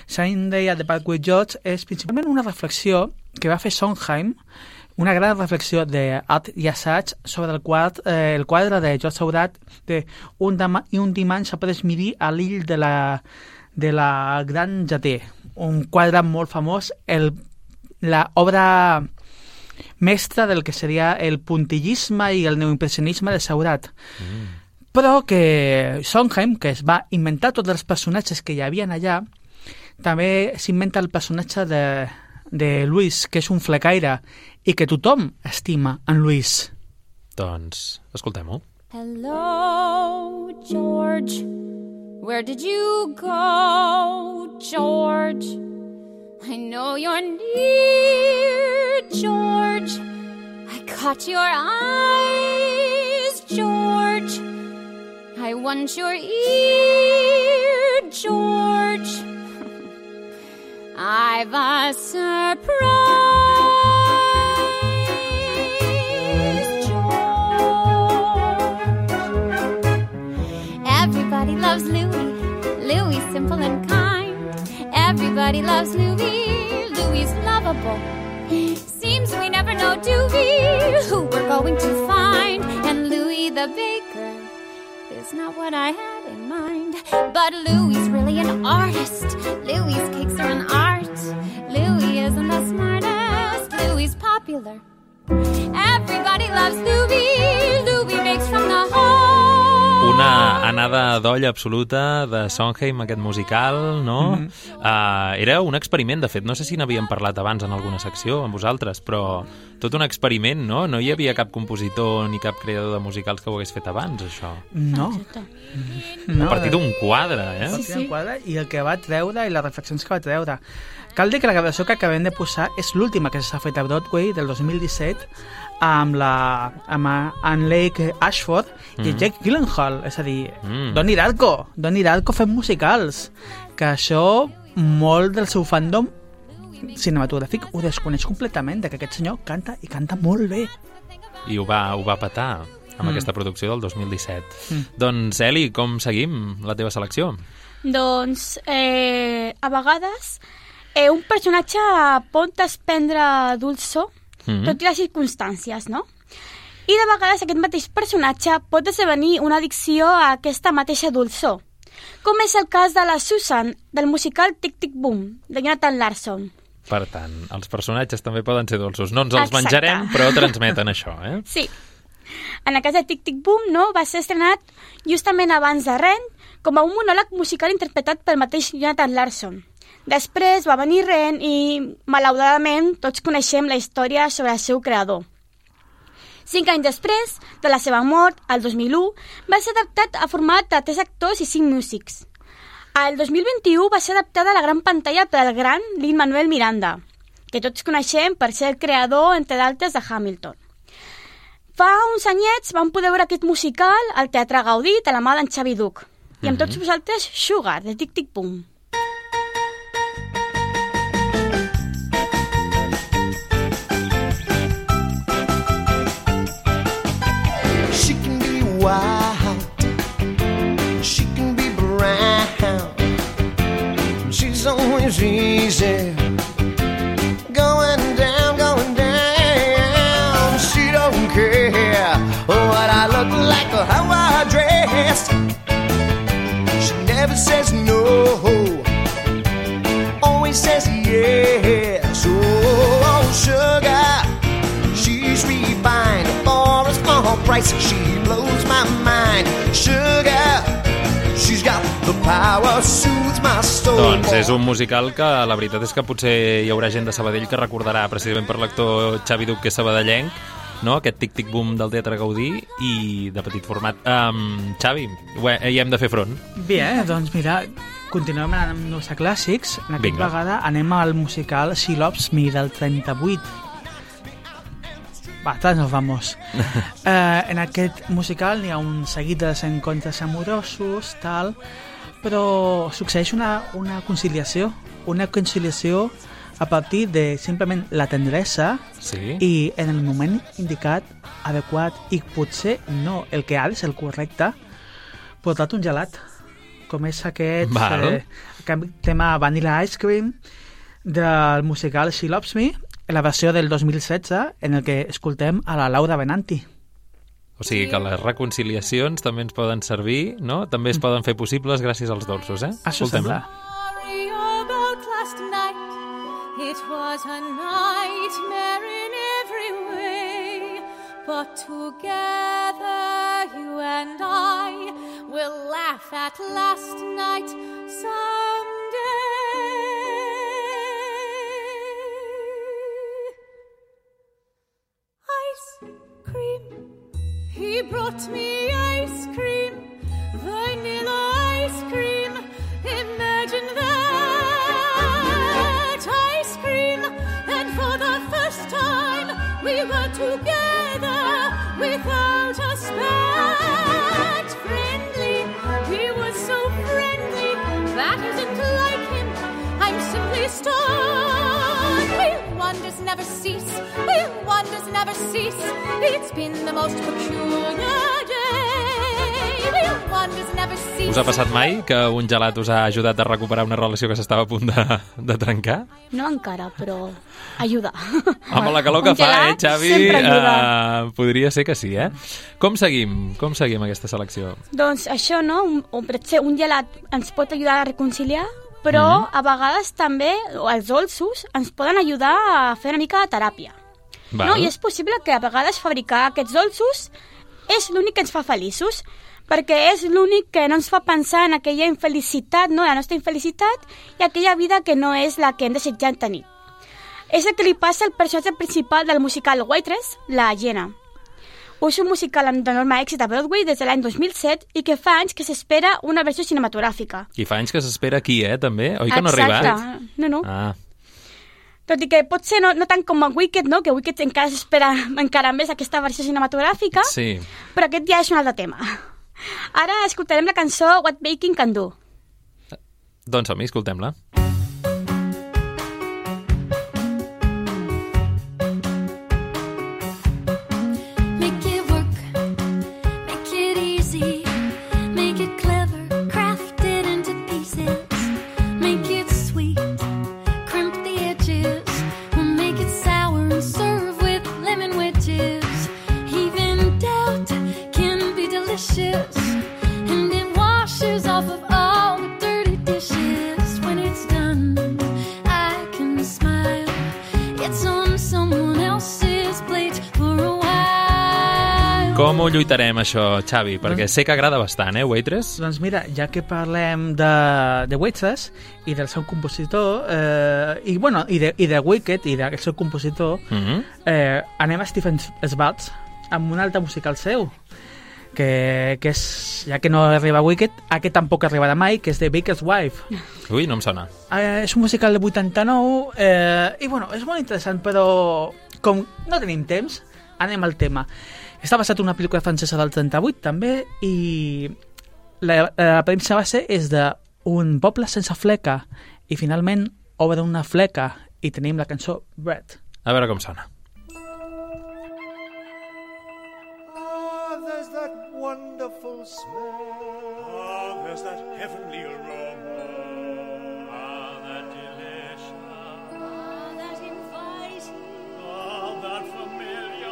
Sunday at the Park with George és principalment una reflexió que va fer Sondheim, una gran reflexió d'art i assaig sobre el quadre de George Seurat de un dimarts après midi a l'Ill de la Gran Jaté, un quadre molt famós, l'obra mestra del que seria el puntillisme i el neoimpressionisme de Seurat. Però que Sondheim, que es va inventar tots els personatges que hi havia allà, també s'inventa el personatge de Louis, que és un flecaire, i que tothom estima en Louis. Doncs escoltem-ho. Hello, George. Where did you go, George? I know you're near, George. I caught your eyes, George. I want your ear, George. I've a surprise, George. Everybody loves Louis. Louis simple and kind. Everybody loves Louis. Louis lovable. Seems we never know, do we, who we're going to find. And Louis the baker is not what I had in mind. But Louis really an artist. Louis cakes are an art. Louis isn't the smartest. Louis popular. Everybody loves Louis. Louis makes from the heart. Una anada d'olla absoluta de Sondheim, aquest musical, no? Era un experiment, de fet. No sé si n'havíem parlat abans en alguna secció amb vosaltres, però tot un experiment, no? No hi havia cap compositor ni cap creador de musicals que ho hagués fet abans, això. No. A partir d'un quadre, eh? A partir d'un quadre, i el que va treure i les reflexions que va treure. Cal dir que la gravació que acabem de posar és l'última que s'ha fet a Broadway del 2017 amb Lake Ashford i Jake Gyllenhaal, és a dir, Donnie Darko fent musicals, que això molt del seu fandom cinematogràfic ho desconeix completament, que aquest senyor canta i canta molt bé. I ho va petar amb aquesta producció del 2017. Doncs, Eli, com seguim la teva selecció? Doncs, a vegades un personatge pot desprendre dolçor tot i les circumstàncies, no? I de vegades aquest mateix personatge pot esdevenir una addicció a aquesta mateixa dolçor, com és el cas de la Susan, del musical Tic Tic Boom, de Jonathan Larson. Per tant, els personatges també poden ser dolços. No ens els menjarem, però transmeten això, eh? Sí. En el cas de Tic Tic Boom, no, va ser estrenat justament abans de Rent com a un monòleg musical interpretat pel mateix Jonathan Larson. Després va venir Rent i, malauradament, tots coneixem la història sobre el seu creador. 5 anys després de la seva mort, el 2001, va ser adaptat a format de 3 actors i 5 músics. El 2021 va ser adaptada a la gran pantalla pel gran Lin-Manuel Miranda, que tots coneixem per ser el creador, entre d'altres, de Hamilton. Fa uns anyets vam poder veure aquest musical al Teatre Gaudí de la mà d'en Xavi Duch. I amb tots vosaltres, Sugar, de Tic Tic Boom. Wild. She can be brown. She's always easy. Going down, going down. She don't care what I look like or how I dress. She never says no, always says yes. Oh, sugar, she's refined, forest all bright. spice, she blows my mind. Sugar, she's got the power, soothes my soul. Doncs és un musical que la veritat és que potser hi haurà gent de Sabadell que recordarà precisament per l'actor Xavi Duc, que és sabadellenc, no? Aquest tic-tic-boom del Teatre Gaudí i de petit format. Xavi, hi hem de fer front. Bé, doncs mira, continuem amb els clàssics. En aquesta vegada anem al musical She Loves Me del 38. Bastants nos vamos. En aquest musical n'hi ha un seguit de desencontres amorosos, tal, però succeeix una conciliació a partir de simplement la tendresa, sí, i en el moment indicat, adequat, i potser no el que ha de ser el correcte, portat un gelat, com és aquest tema Vanilla Ice Cream del musical She Loves Me, la versió del 2016, en el que escoltem a la Laura Benanti. O sigui que les reconciliacions també ens poden servir, no? També es poden fer possibles gràcies als dolços, eh? Això sembla. It was a nightmare in every way, but together you and I will laugh at last night someday. Ice cream, he brought me ice cream, vanilla ice cream, imagine that. We were together without a spat. Friendly, he was so friendly. That isn't like him, I'm simply stunned. Will wonders never cease? Will wonders never cease? It's been the most peculiar day. Will wonders never cease? Us ha passat mai que un gelat us ha ajudat a recuperar una relació que s'estava a punt de trencar? No encara, però ajuda. Amb la calor que fa, Xavi? Podria ser que sí, eh? Com seguim aquesta selecció? Doncs això, no? Un gelat ens pot ajudar a reconciliar, però a vegades també els dolços ens poden ajudar a fer una mica de teràpia. No? I és possible que a vegades fabricar aquests dolços és l'únic que ens fa feliços, perquè és l'únic que no ens fa pensar en aquella infelicitat, no? La nostra infelicitat i aquella vida que no és la que hem desitjat tenir. És el que li passa al personatge principal del musical Waitress, la Jenna. És un musical amb enorme èxit a Broadway des de l'any 2007 i que fa anys que s'espera una versió cinematogràfica. I fa anys que s'espera aquí, també? Oi que no ha arribat? Exacte. No. Tot i que pot ser no tant com a Wicked, no? Que Wicked encara s'espera encara més aquesta versió cinematogràfica, sí, però aquest ja és un altre tema. Ara escoltarem la cançó What Baking Can Do. Doncs som-hi, escoltem-la. Com ho lluitarem, això, Xavi? Perquè sé que agrada bastant, Waitress? Doncs mira, ja que parlem de Waitress i del seu compositor, i de Wicked i del seu compositor, anem a Stephen Schwartz amb un altre musical seu, que és, ja que no arriba a Wicked, aquest tampoc arribarà mai, que és The Baker's Wife. Ui, no em sona. És un musical de 89, i és molt interessant, però com no tenim temps, anem al tema. Està basat en una pel·lícula francesa del 38, també, i la premissa base és d'un poble sense fleca, i finalment obre una fleca, i tenim la cançó Bread. A veure com sona. Oh, there's that wonderful smell. Oh, there's that heavenly aroma. Oh, that delicious. Oh, that inviting. Oh, that familiar.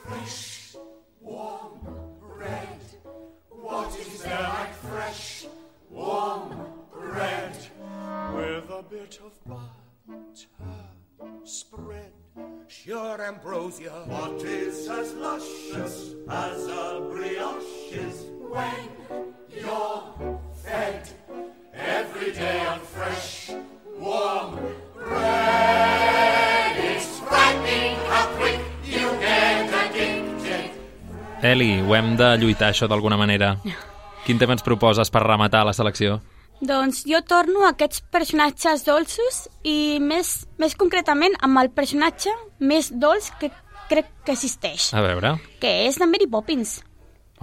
Fresh, warm bread. What is there like fresh, warm bread? ambrosia. What is as luscious as a brioche is when you're fed every day on fresh, warm bread? It's frightening how quick you get addicted. Eli, ho hem de lluitar, això, d'alguna manera. Quin tema ens proposes per rematar la selecció? Doncs jo torno a aquests personatges dolços i més concretament amb el personatge més dolç que crec que existeix. A veure. Que és la Mary Poppins.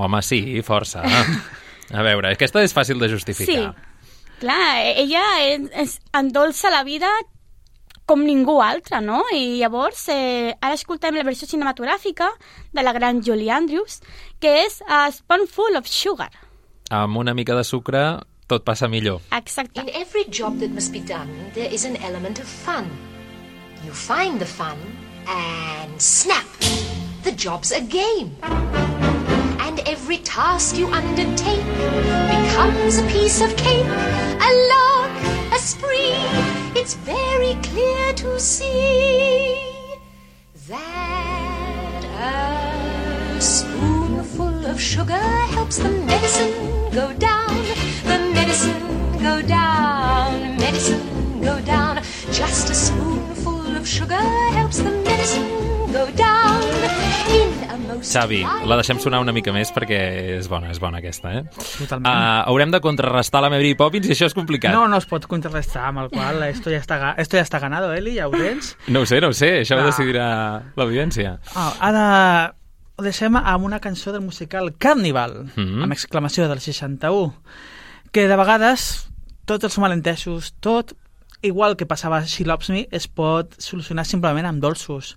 Home, sí, força. A veure, aquesta és fàcil de justificar. Sí, clar, ella endolça la vida com ningú altre, no? I llavors, ara escoltem la versió cinematogràfica de la gran Julie Andrews, que és A Spoonful of Sugar. Amb una mica de sucre tot passa millor. Exacte. In every job that must be done, there is an element of fun. You find the fun and snap! The job's a game. And every task you undertake becomes a piece of cake, a lark, a spree. It's very clear to see that a spoonful of sugar helps the medicine go down, the medicine go down, medicine go down. Just a spoonful of sugar helps the medicine go down. Xavi, la deixem sonar una mica més perquè és bona aquesta, eh? Totalment. Haurem de contrarrestar la Mary Poppins i això és complicat. No es pot contrarrestar, amb el qual esto ya está ganado, Eli, ja ho tens. No ho sé, això ho decidirà l'audiència. Ara ho deixem amb una cançó del musical Carnival, amb exclamació del 61, que de vegades tots els malentesos, tot igual que passava a She Loves Me, es pot solucionar simplement amb dolços,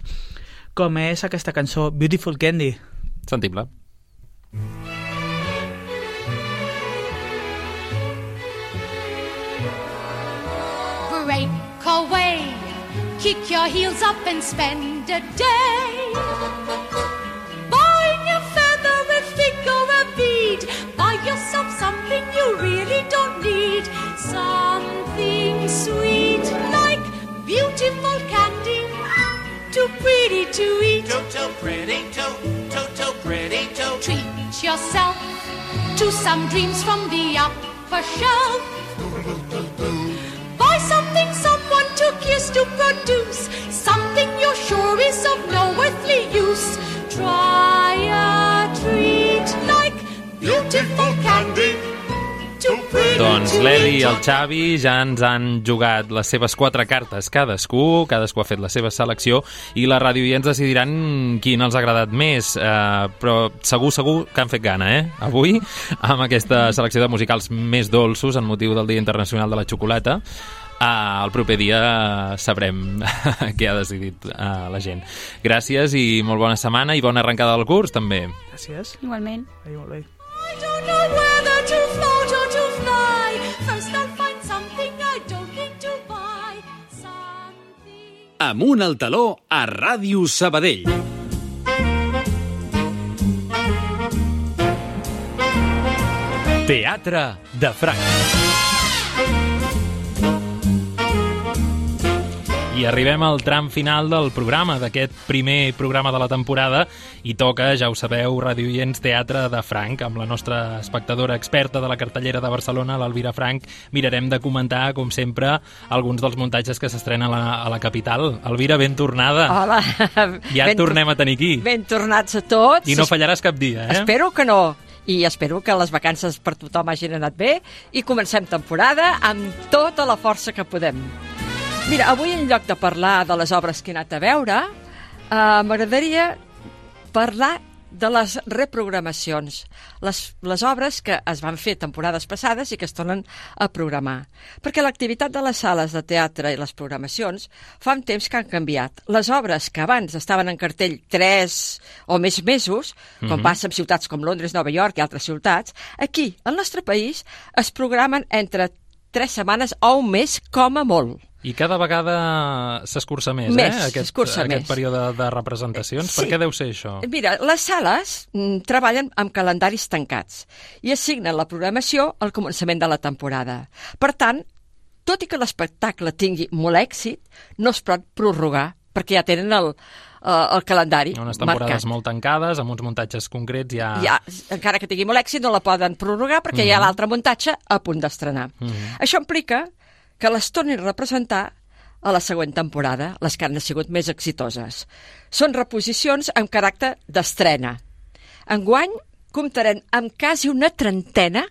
com és aquesta cançó Beautiful Candy. Sentim-la. Break away, kick your heels up and spend a day buying a feather, a fig or a bead. Buy yourself something you really don't need, something sweet like beautiful candy, too pretty to eat, too pretty to pretty to treat yourself to some dreams from the upper shelf. Buy something someone took years to produce, something you're sure is of no earthly use. Try a treat like beautiful candy. Doncs l'Eli i el Xavi ja ens han jugat les seves 4 cartes cadascú ha fet la seva selecció i la ràdio ja ens decidiran quin els ha agradat més, però segur que han fet gana, avui, amb aquesta selecció de musicals més dolços en motiu del Dia Internacional de la Xocolata. El proper dia sabrem què ha decidit la gent. Gràcies i molt bona setmana i bona arrencada del curs, també. Gràcies. Igualment. Molt bé. I don't know whether to float or to fly. First I'll find something I don't need to buy. Amunt al taló a Ràdio Sabadell. Teatre de Franc. I arribem al tram final del programa, d'aquest primer programa de la temporada, i toca, ja ho sabeu, radioients, Teatre de Franc. Amb la nostra espectadora experta de la cartellera de Barcelona, l'Elvira Franc, mirarem de comentar, com sempre, alguns dels muntatges que s'estrenen a la capital. Elvira, ben tornada. Hola. Ja et tornem a tenir aquí. Ben tornats a tots. I no fallaràs cap dia, eh? Espero que no. I espero que les vacances per tothom hagin anat bé i comencem temporada amb tota la força que podem. Mira, avui en lloc de parlar de les obres que he anat a veure, m'agradaria parlar de les reprogramacions, les obres que es van fer temporades passades i que es tornen a programar. Perquè l'activitat de les sales de teatre i les programacions fa un temps que han canviat. Les obres que abans estaven en cartell 3 o més mesos, com passa en ciutats com Londres, Nova York i altres ciutats, aquí, al nostre país, es programen entre 3 setmanes o un mes com a molt. I cada vegada s'escurça més, aquest període de representacions. Sí. Per què deu ser això? Mira, les sales treballen amb calendaris tancats i assignen la programació al començament de la temporada. Per tant, tot i que l'espectacle tingui molt èxit, no es pot prorrogar, perquè ja tenen el calendari unes temporades marcat. molt tancades, amb uns muntatges concrets Encara que tingui molt èxit, no la poden prorrogar perquè hi ha l'altre muntatge a punt d'estrenar. Això implica que les tornin a representar a la següent temporada, les que han sigut més exitoses. Són reposicions amb caràcter d'estrena. Enguany comptarem amb quasi una trentena,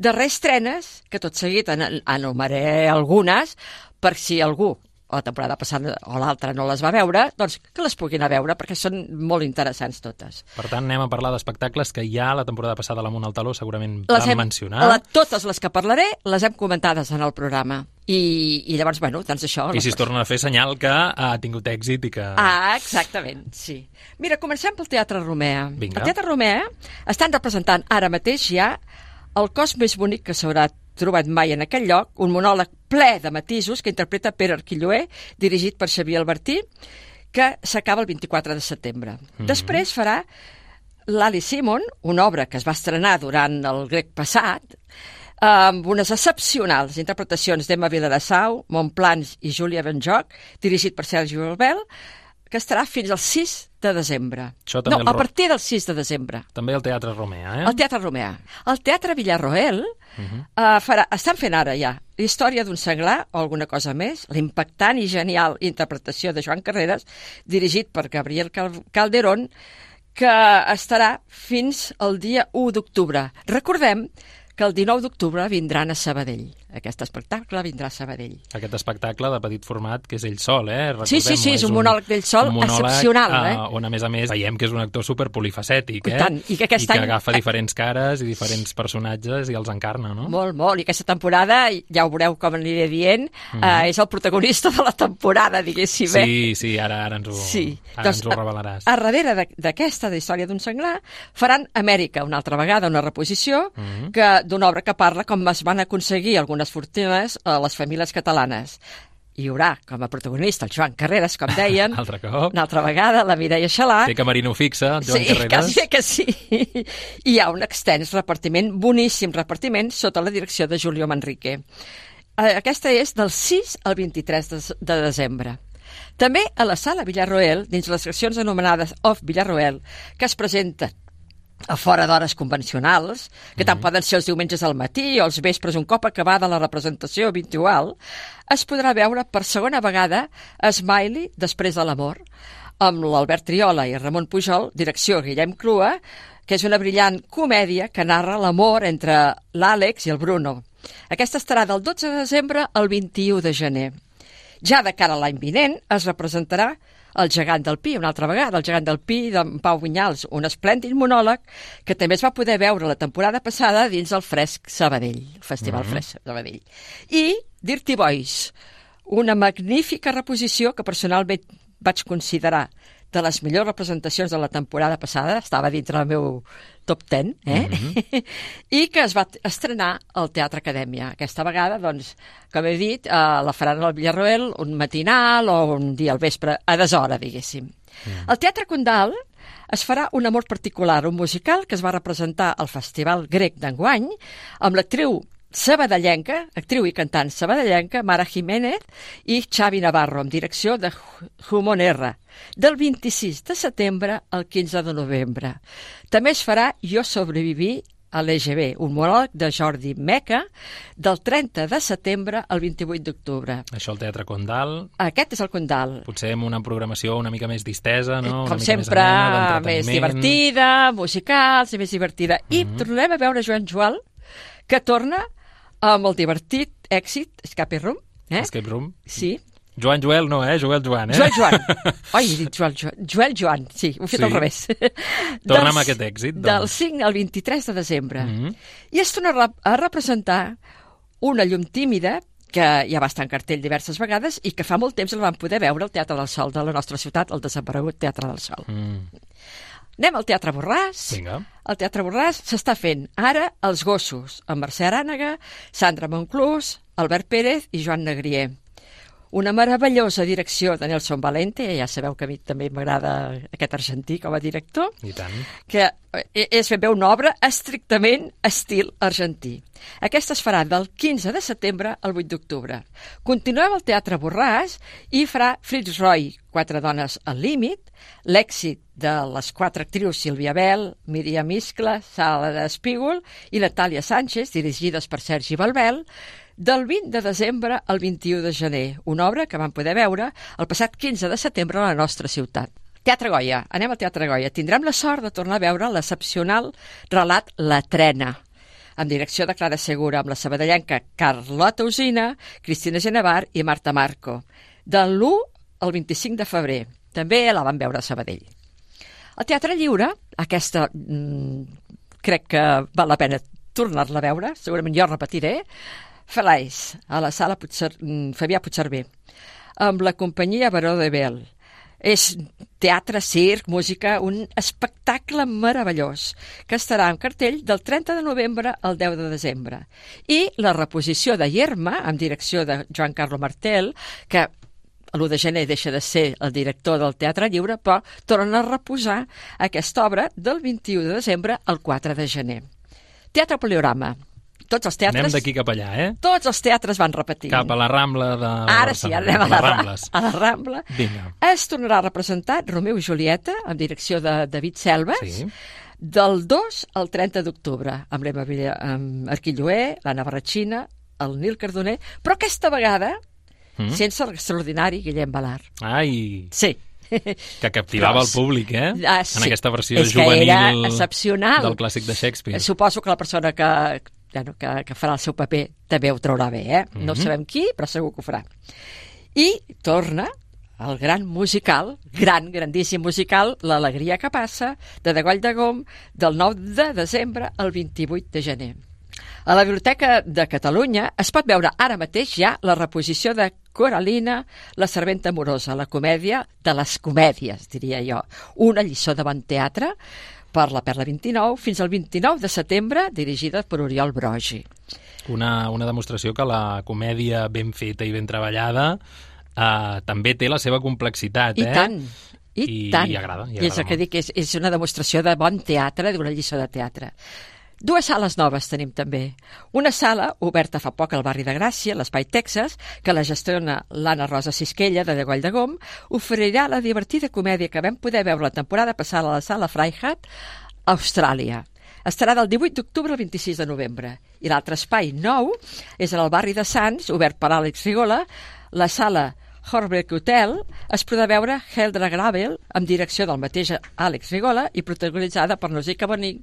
de reestrenes, que tot seguit enumeraré algunes, per si algú la temporada passada o l'altra no les va veure, doncs que les puguin a veure, perquè són molt interessants totes. Per tant, anem a parlar d'espectacles que ja la temporada passada a l'Amunt al Taló segurament vam mencionar. Totes les que parlaré les hem comentades en el programa. I llavors, bueno, doncs això... I si es tornen a fer senyal que ha tingut èxit i que... Exactament, sí. Mira, comencem pel Teatre Romea. Vinga. El Teatre Romea estan representant ara mateix ja el cos més bonic que s'haurà trobat mai en aquell lloc, un monòleg ple de matisos que interpreta Pere Arquilloé, dirigit per Xavier Albertí, que s'acaba el 24 de setembre. Després farà l'Ali Simon, una obra que es va estrenar durant el grec passat, amb unes excepcionals interpretacions d'Emma Viladasau, Montplans i Júlia Benjoc, dirigit per Sergi Albel, que estarà fins al 6 de desembre. A partir del 6 de desembre. També el Teatre Romea, El Teatre Romea. El Teatre Villarroel estan fent ara ja la història d'un senglar o alguna cosa més, l'impactant i genial interpretació de Joan Carreras, dirigit per Gabriel Calderón, que estarà fins al dia 1 d'octubre. Recordem que el 19 d'octubre vindran a Sabadell. Aquest espectacle vindrà a Sabadell. Aquest espectacle de petit format que és ell sol, Sí, és un monòleg d'ell sol excepcional. On, a més, veiem que és un actor superpolifacètic, I que que agafa diferents cares i diferents personatges i els encarna, no? Molt, molt. I aquesta temporada, ja ho veureu com aniré dient, és el protagonista de la temporada, diguéssim. Sí, ara ens ho revelaràs. A darrere d'aquesta, de història d'un senglar, faran Amèrica, una altra vegada, una reposició d'una obra que parla com es van aconseguir algunes fortunes a les famílies catalanes. Hi haurà com a protagonista el Joan Carreras, com deien. Altre cop. Una altra vegada, la Mireia Xalà. Té camerino fixa, el Joan Carreras. Quasi que sí. I hi ha un extens repartiment, boníssim repartiment, sota la direcció de Julio Manrique. Aquesta és del 6 al 23 de desembre. També a la Sala Villarroel, dins les seccions anomenades Off Villarroel, que es presenten a fora d'hores convencionals, que tant poden ser els diumenges al matí o els vespres un cop acabada la representació habitual, es podrà veure per segona vegada Smiley, després de l'amor, amb l'Albert Triola i Ramon Pujol, direcció Guillem Clua, que és una brillant comèdia que narra l'amor entre l'Àlex i el Bruno. Aquesta estarà del 12 de desembre al 21 de gener. Ja de cara a l'any vinent es representarà El gegant del Pi, una altra vegada, El gegant del Pi d'en Pau Vinyals, un esplèndid monòleg que també es va poder veure la temporada passada dins el Fresc Sabadell, el Festival Fresc Sabadell. I Dirty Boys, una magnífica reposició que personalment vaig considerar de les millors representacions de la temporada passada, estava dintre del meu top 10, i que es va estrenar al Teatre Acadèmia. Aquesta vegada, doncs, com he dit, la faran al Villarroel un matinal o un dia al vespre, a deshora, diguéssim. Al Teatre Condal es farà un amor particular, un musical que es va representar al Festival Grec d'enguany, amb l'actriu sabadellenca, actriu i cantant sabadellenca, Mara Jiménez i Xavi Navarro, amb direcció de Jumon R, del 26 de setembre al 15 de novembre. També es farà Jo sobreviví a l'EGB, un monòleg de Jordi Meca, del 30 de setembre al 28 d'octubre. Això al Teatre Condal. Aquest és el Condal. Potser amb una programació una mica més distesa, no? Com sempre, més divertida, musicals i més divertida. I tornem a veure Joan Joal, que torna amb el divertit èxit Escape Room. Escape Room. Sí. Joan Joel no, Joel Joan, Joel Joan. Ai, he dit Joel Joan, sí, ho he fet al revés. Torna amb aquest èxit, doncs. Del 5 al 23 de desembre. I es torna a representar Una llum tímida, que ja va estar en cartell diverses vegades i que fa molt temps el vam poder veure al Teatre del Sol de la nostra ciutat, el desaparegut Teatre del Sol. Anem al Teatre Borràs. Vinga. El Teatre Borràs s'està fent ara Els gossos, amb Mercè Arànega, Sandra Monclús, Albert Pérez i Joan Negrier. una meravellosa direcció de Nelson Valente, ja sabeu que a mi també m'agrada aquest argentí com a director, I tant. que és ben bé una obra estrictament estil argentí. Aquesta es farà del 15 de setembre al 8 d'octubre. Continuem al Teatre Borràs i farà Fritz Roy, 4 dones al límit, l'èxit de les 4 actrius Sílvia Bell, Míriam Iscla, Sala Espígol i Natàlia Sánchez, dirigides per Sergi Balbel, del 20 de desembre al 21 de gener, una obra que vam poder veure el passat 15 de setembre a la nostra ciutat. Teatre Goya, anem al Teatre Goya. Tindrem la sort de tornar a veure l'excepcional relat La Trena, amb direcció de Clara Segura, amb la sabadellenca Carlota Usina, Cristina Genevar i Marta Marco, del 1 al 25 de febrer. També la vam veure a Sabadell. Al Teatre Lliure, aquesta crec que val la pena tornar-la a veure, segurament jo repetiré, Felice, a la sala Fabià Puigcerver, amb la companyia Baró de Bel. És teatre, circ, música, un espectacle meravellós que estarà en cartell del 30 de novembre al 10 de desembre. I la reposició de Yerma, amb direcció de Joan Carlo Martel, que l'1 de gener deixa de ser el director del Teatre Lliure, però tornen a reposar aquesta obra del 21 de desembre al 4 de gener. Teatre Poliorama. Tots els teatres... Anem d'aquí cap allà, Tots els teatres van repetint. Cap a la Rambla de... Ara sí, anem a la Rambla. Vinga. Es tornarà a representar Romeu i Julieta, amb direcció de David Selves, del 2 al 30 d'octubre, amb l'Emma Arquilloé, l'Anna Barratxina, el Nil Cardoner, però aquesta vegada sense l'extraordinari Guillem Balart. Ai! Sí. Que captivava el públic, sí. En aquesta versió juvenil excepcional del clàssic de Shakespeare. Suposo que la persona que farà el seu paper també ho traurà bé, No sabem qui, però segur que ho farà. I torna el gran musical, grandíssim musical, L'alegria que passa, de Degoll de Gom, del 9 de desembre al 28 de gener. A la Biblioteca de Catalunya es pot veure ara mateix ja la reposició de Coralina, la serventa amorosa, la comèdia de les comèdies, diria jo. Una lliçó de bon teatre per la Perla 29 fins al 29 de setembre, dirigida per Oriol Brogi. Una demostració que la comèdia ben feta i ben treballada també té la seva complexitat, I tant. I agrada. I és el que dic, és una demostració de bon teatre, d'una lliçó de teatre. 2 sales noves tenim també. Una sala oberta fa poc al barri de Gràcia, l'Espai Texas, que la gestiona l'Anna Rosa Sisquella, de Degoll de Gom, oferirà la divertida comèdia que vam poder veure la temporada passada a la sala Freihat, a Austràlia. Estarà del 18 d'octubre al 26 de novembre. I l'altre espai nou és en el barri de Sants, obert per Àlex Rigola, la sala Horbeck Hotel. Es podrà veure Heldra Gravel, amb direcció del mateix Àlex Rigola i protagonitzada per Nausicaa Bonig,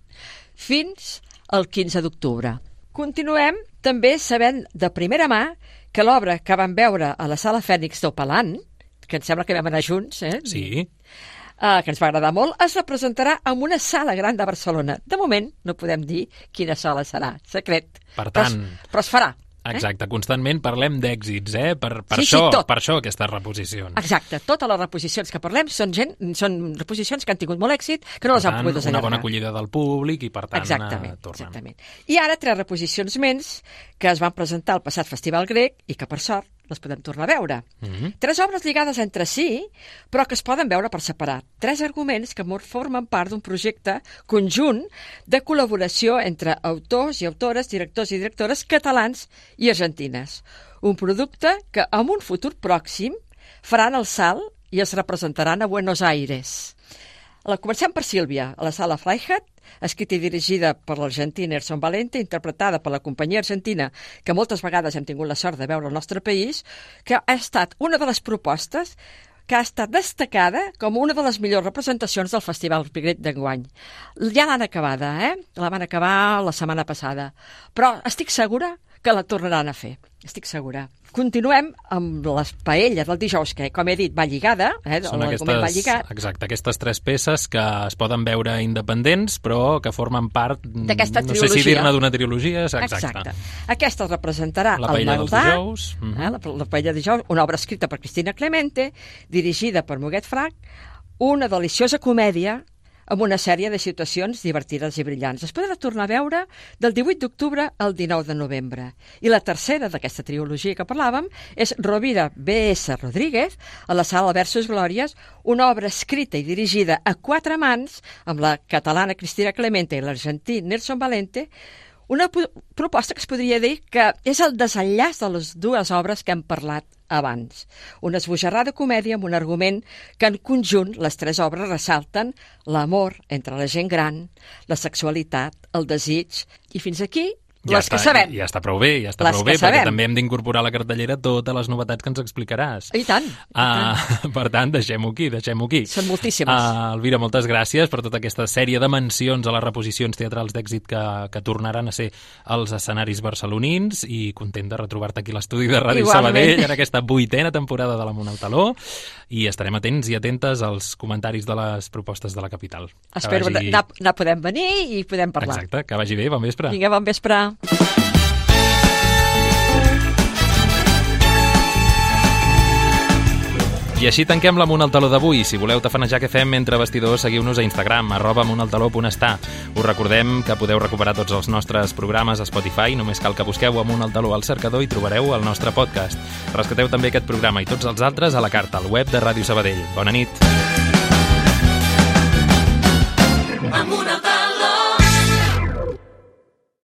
fins el 15 d'octubre. Continuem també sabent de primera mà que l'obra que vam veure a la sala Fènix d'Opalant, que em sembla que vam anar junts, Sí. Que ens va agradar molt, es representarà en una sala gran de Barcelona. De moment no podem dir quina sala serà, secret. Per tant... Però es farà. Exacte, constantment parlem d'èxits, per això aquestes reposicions. Exacte, totes les reposicions que parlem són reposicions que han tingut molt èxit, que no les han pogut desenllargar. Una bona acollida del públic i per tant tornen. Exactament. I ara 3 reposicions més que es van presentar al passat Festival Grec i que per sort les podem tornar a veure. 3 obres lligades entre si, però que es poden veure per separat. 3 arguments que formen part d'un projecte conjunt de col·laboració entre autors i autores, directors i directores catalans i argentines. Un producte que en un futur pròxim faran el salt i es representaran a Buenos Aires. Comencem per Sílvia, a la sala Freihat, escrita i dirigida per l'argentí Nelson Valente, interpretada per la companyia argentina, que moltes vegades hem tingut la sort de veure al nostre país, que ha estat una de les propostes que ha estat destacada com una de les millors representacions del Festival Grec d'enguany. Ja l'han acabada, La van acabar la setmana passada. Però estic segura que la tornaran a fer. Estic segura. Continuem amb les paelles del dijous, que, com he dit, va lligada. Són aquestes 3 peces que es poden veure independents, però que formen part, d'aquesta no sé si dir-ne d'una trilogia. Exacte. Aquesta es representarà la paella dels dijous. La paella de dijous, una obra escrita per Cristina Clemente, dirigida per Muguet Frac, una deliciosa comèdia amb una sèrie de situacions divertides i brillants. Es podrà tornar a veure del 18 d'octubre al 19 de novembre. I la tercera d'aquesta trilogia que parlàvem és Rovira B.S. Rodríguez, a la sala Versos Glòries, una obra escrita i dirigida a 4 mans, amb la catalana Cristina Clemente i l'argentí Nelson Valente, una proposta que es podria dir que és el desenllaç de les 2 obres que hem parlat abans. Una esbojarrada comèdia amb un argument que en conjunt les 3 obres ressalten l'amor entre la gent gran, la sexualitat, el desig, i fins aquí les que sabem. Ja està prou bé, perquè també hem d'incorporar a la cartellera totes les novetats que ens explicaràs. I tant. Per tant, deixem-ho aquí. Són moltíssimes. Elvira, moltes gràcies per tota aquesta sèrie de mencions a les reposicions teatrals d'èxit que tornaran a ser als escenaris barcelonins, i content de retrobar-te aquí a l'estudi de Ràdio Sabadell en aquesta 8a temporada de l'Amunt al Taló, i estarem atents i atentes als comentaris de les propostes de la capital. Espero que podem venir i podem parlar. Exacte, que vagi bé, bon vespre. Vinga, bon vespre. I així tanquem l'Amunt al Taló d'avui. Si voleu tafanejar què fem entre vestidors, seguiu-nos a Instagram, @amuntaltaló.està. Us recordem que podeu recuperar tots els nostres programes a Spotify. Només cal que busqueu Amunt al Taló al cercador i trobareu el nostre podcast. Rescateu també aquest programa i tots els altres a la carta, al web de Ràdio Sabadell. Bona nit. Amunt al Taló.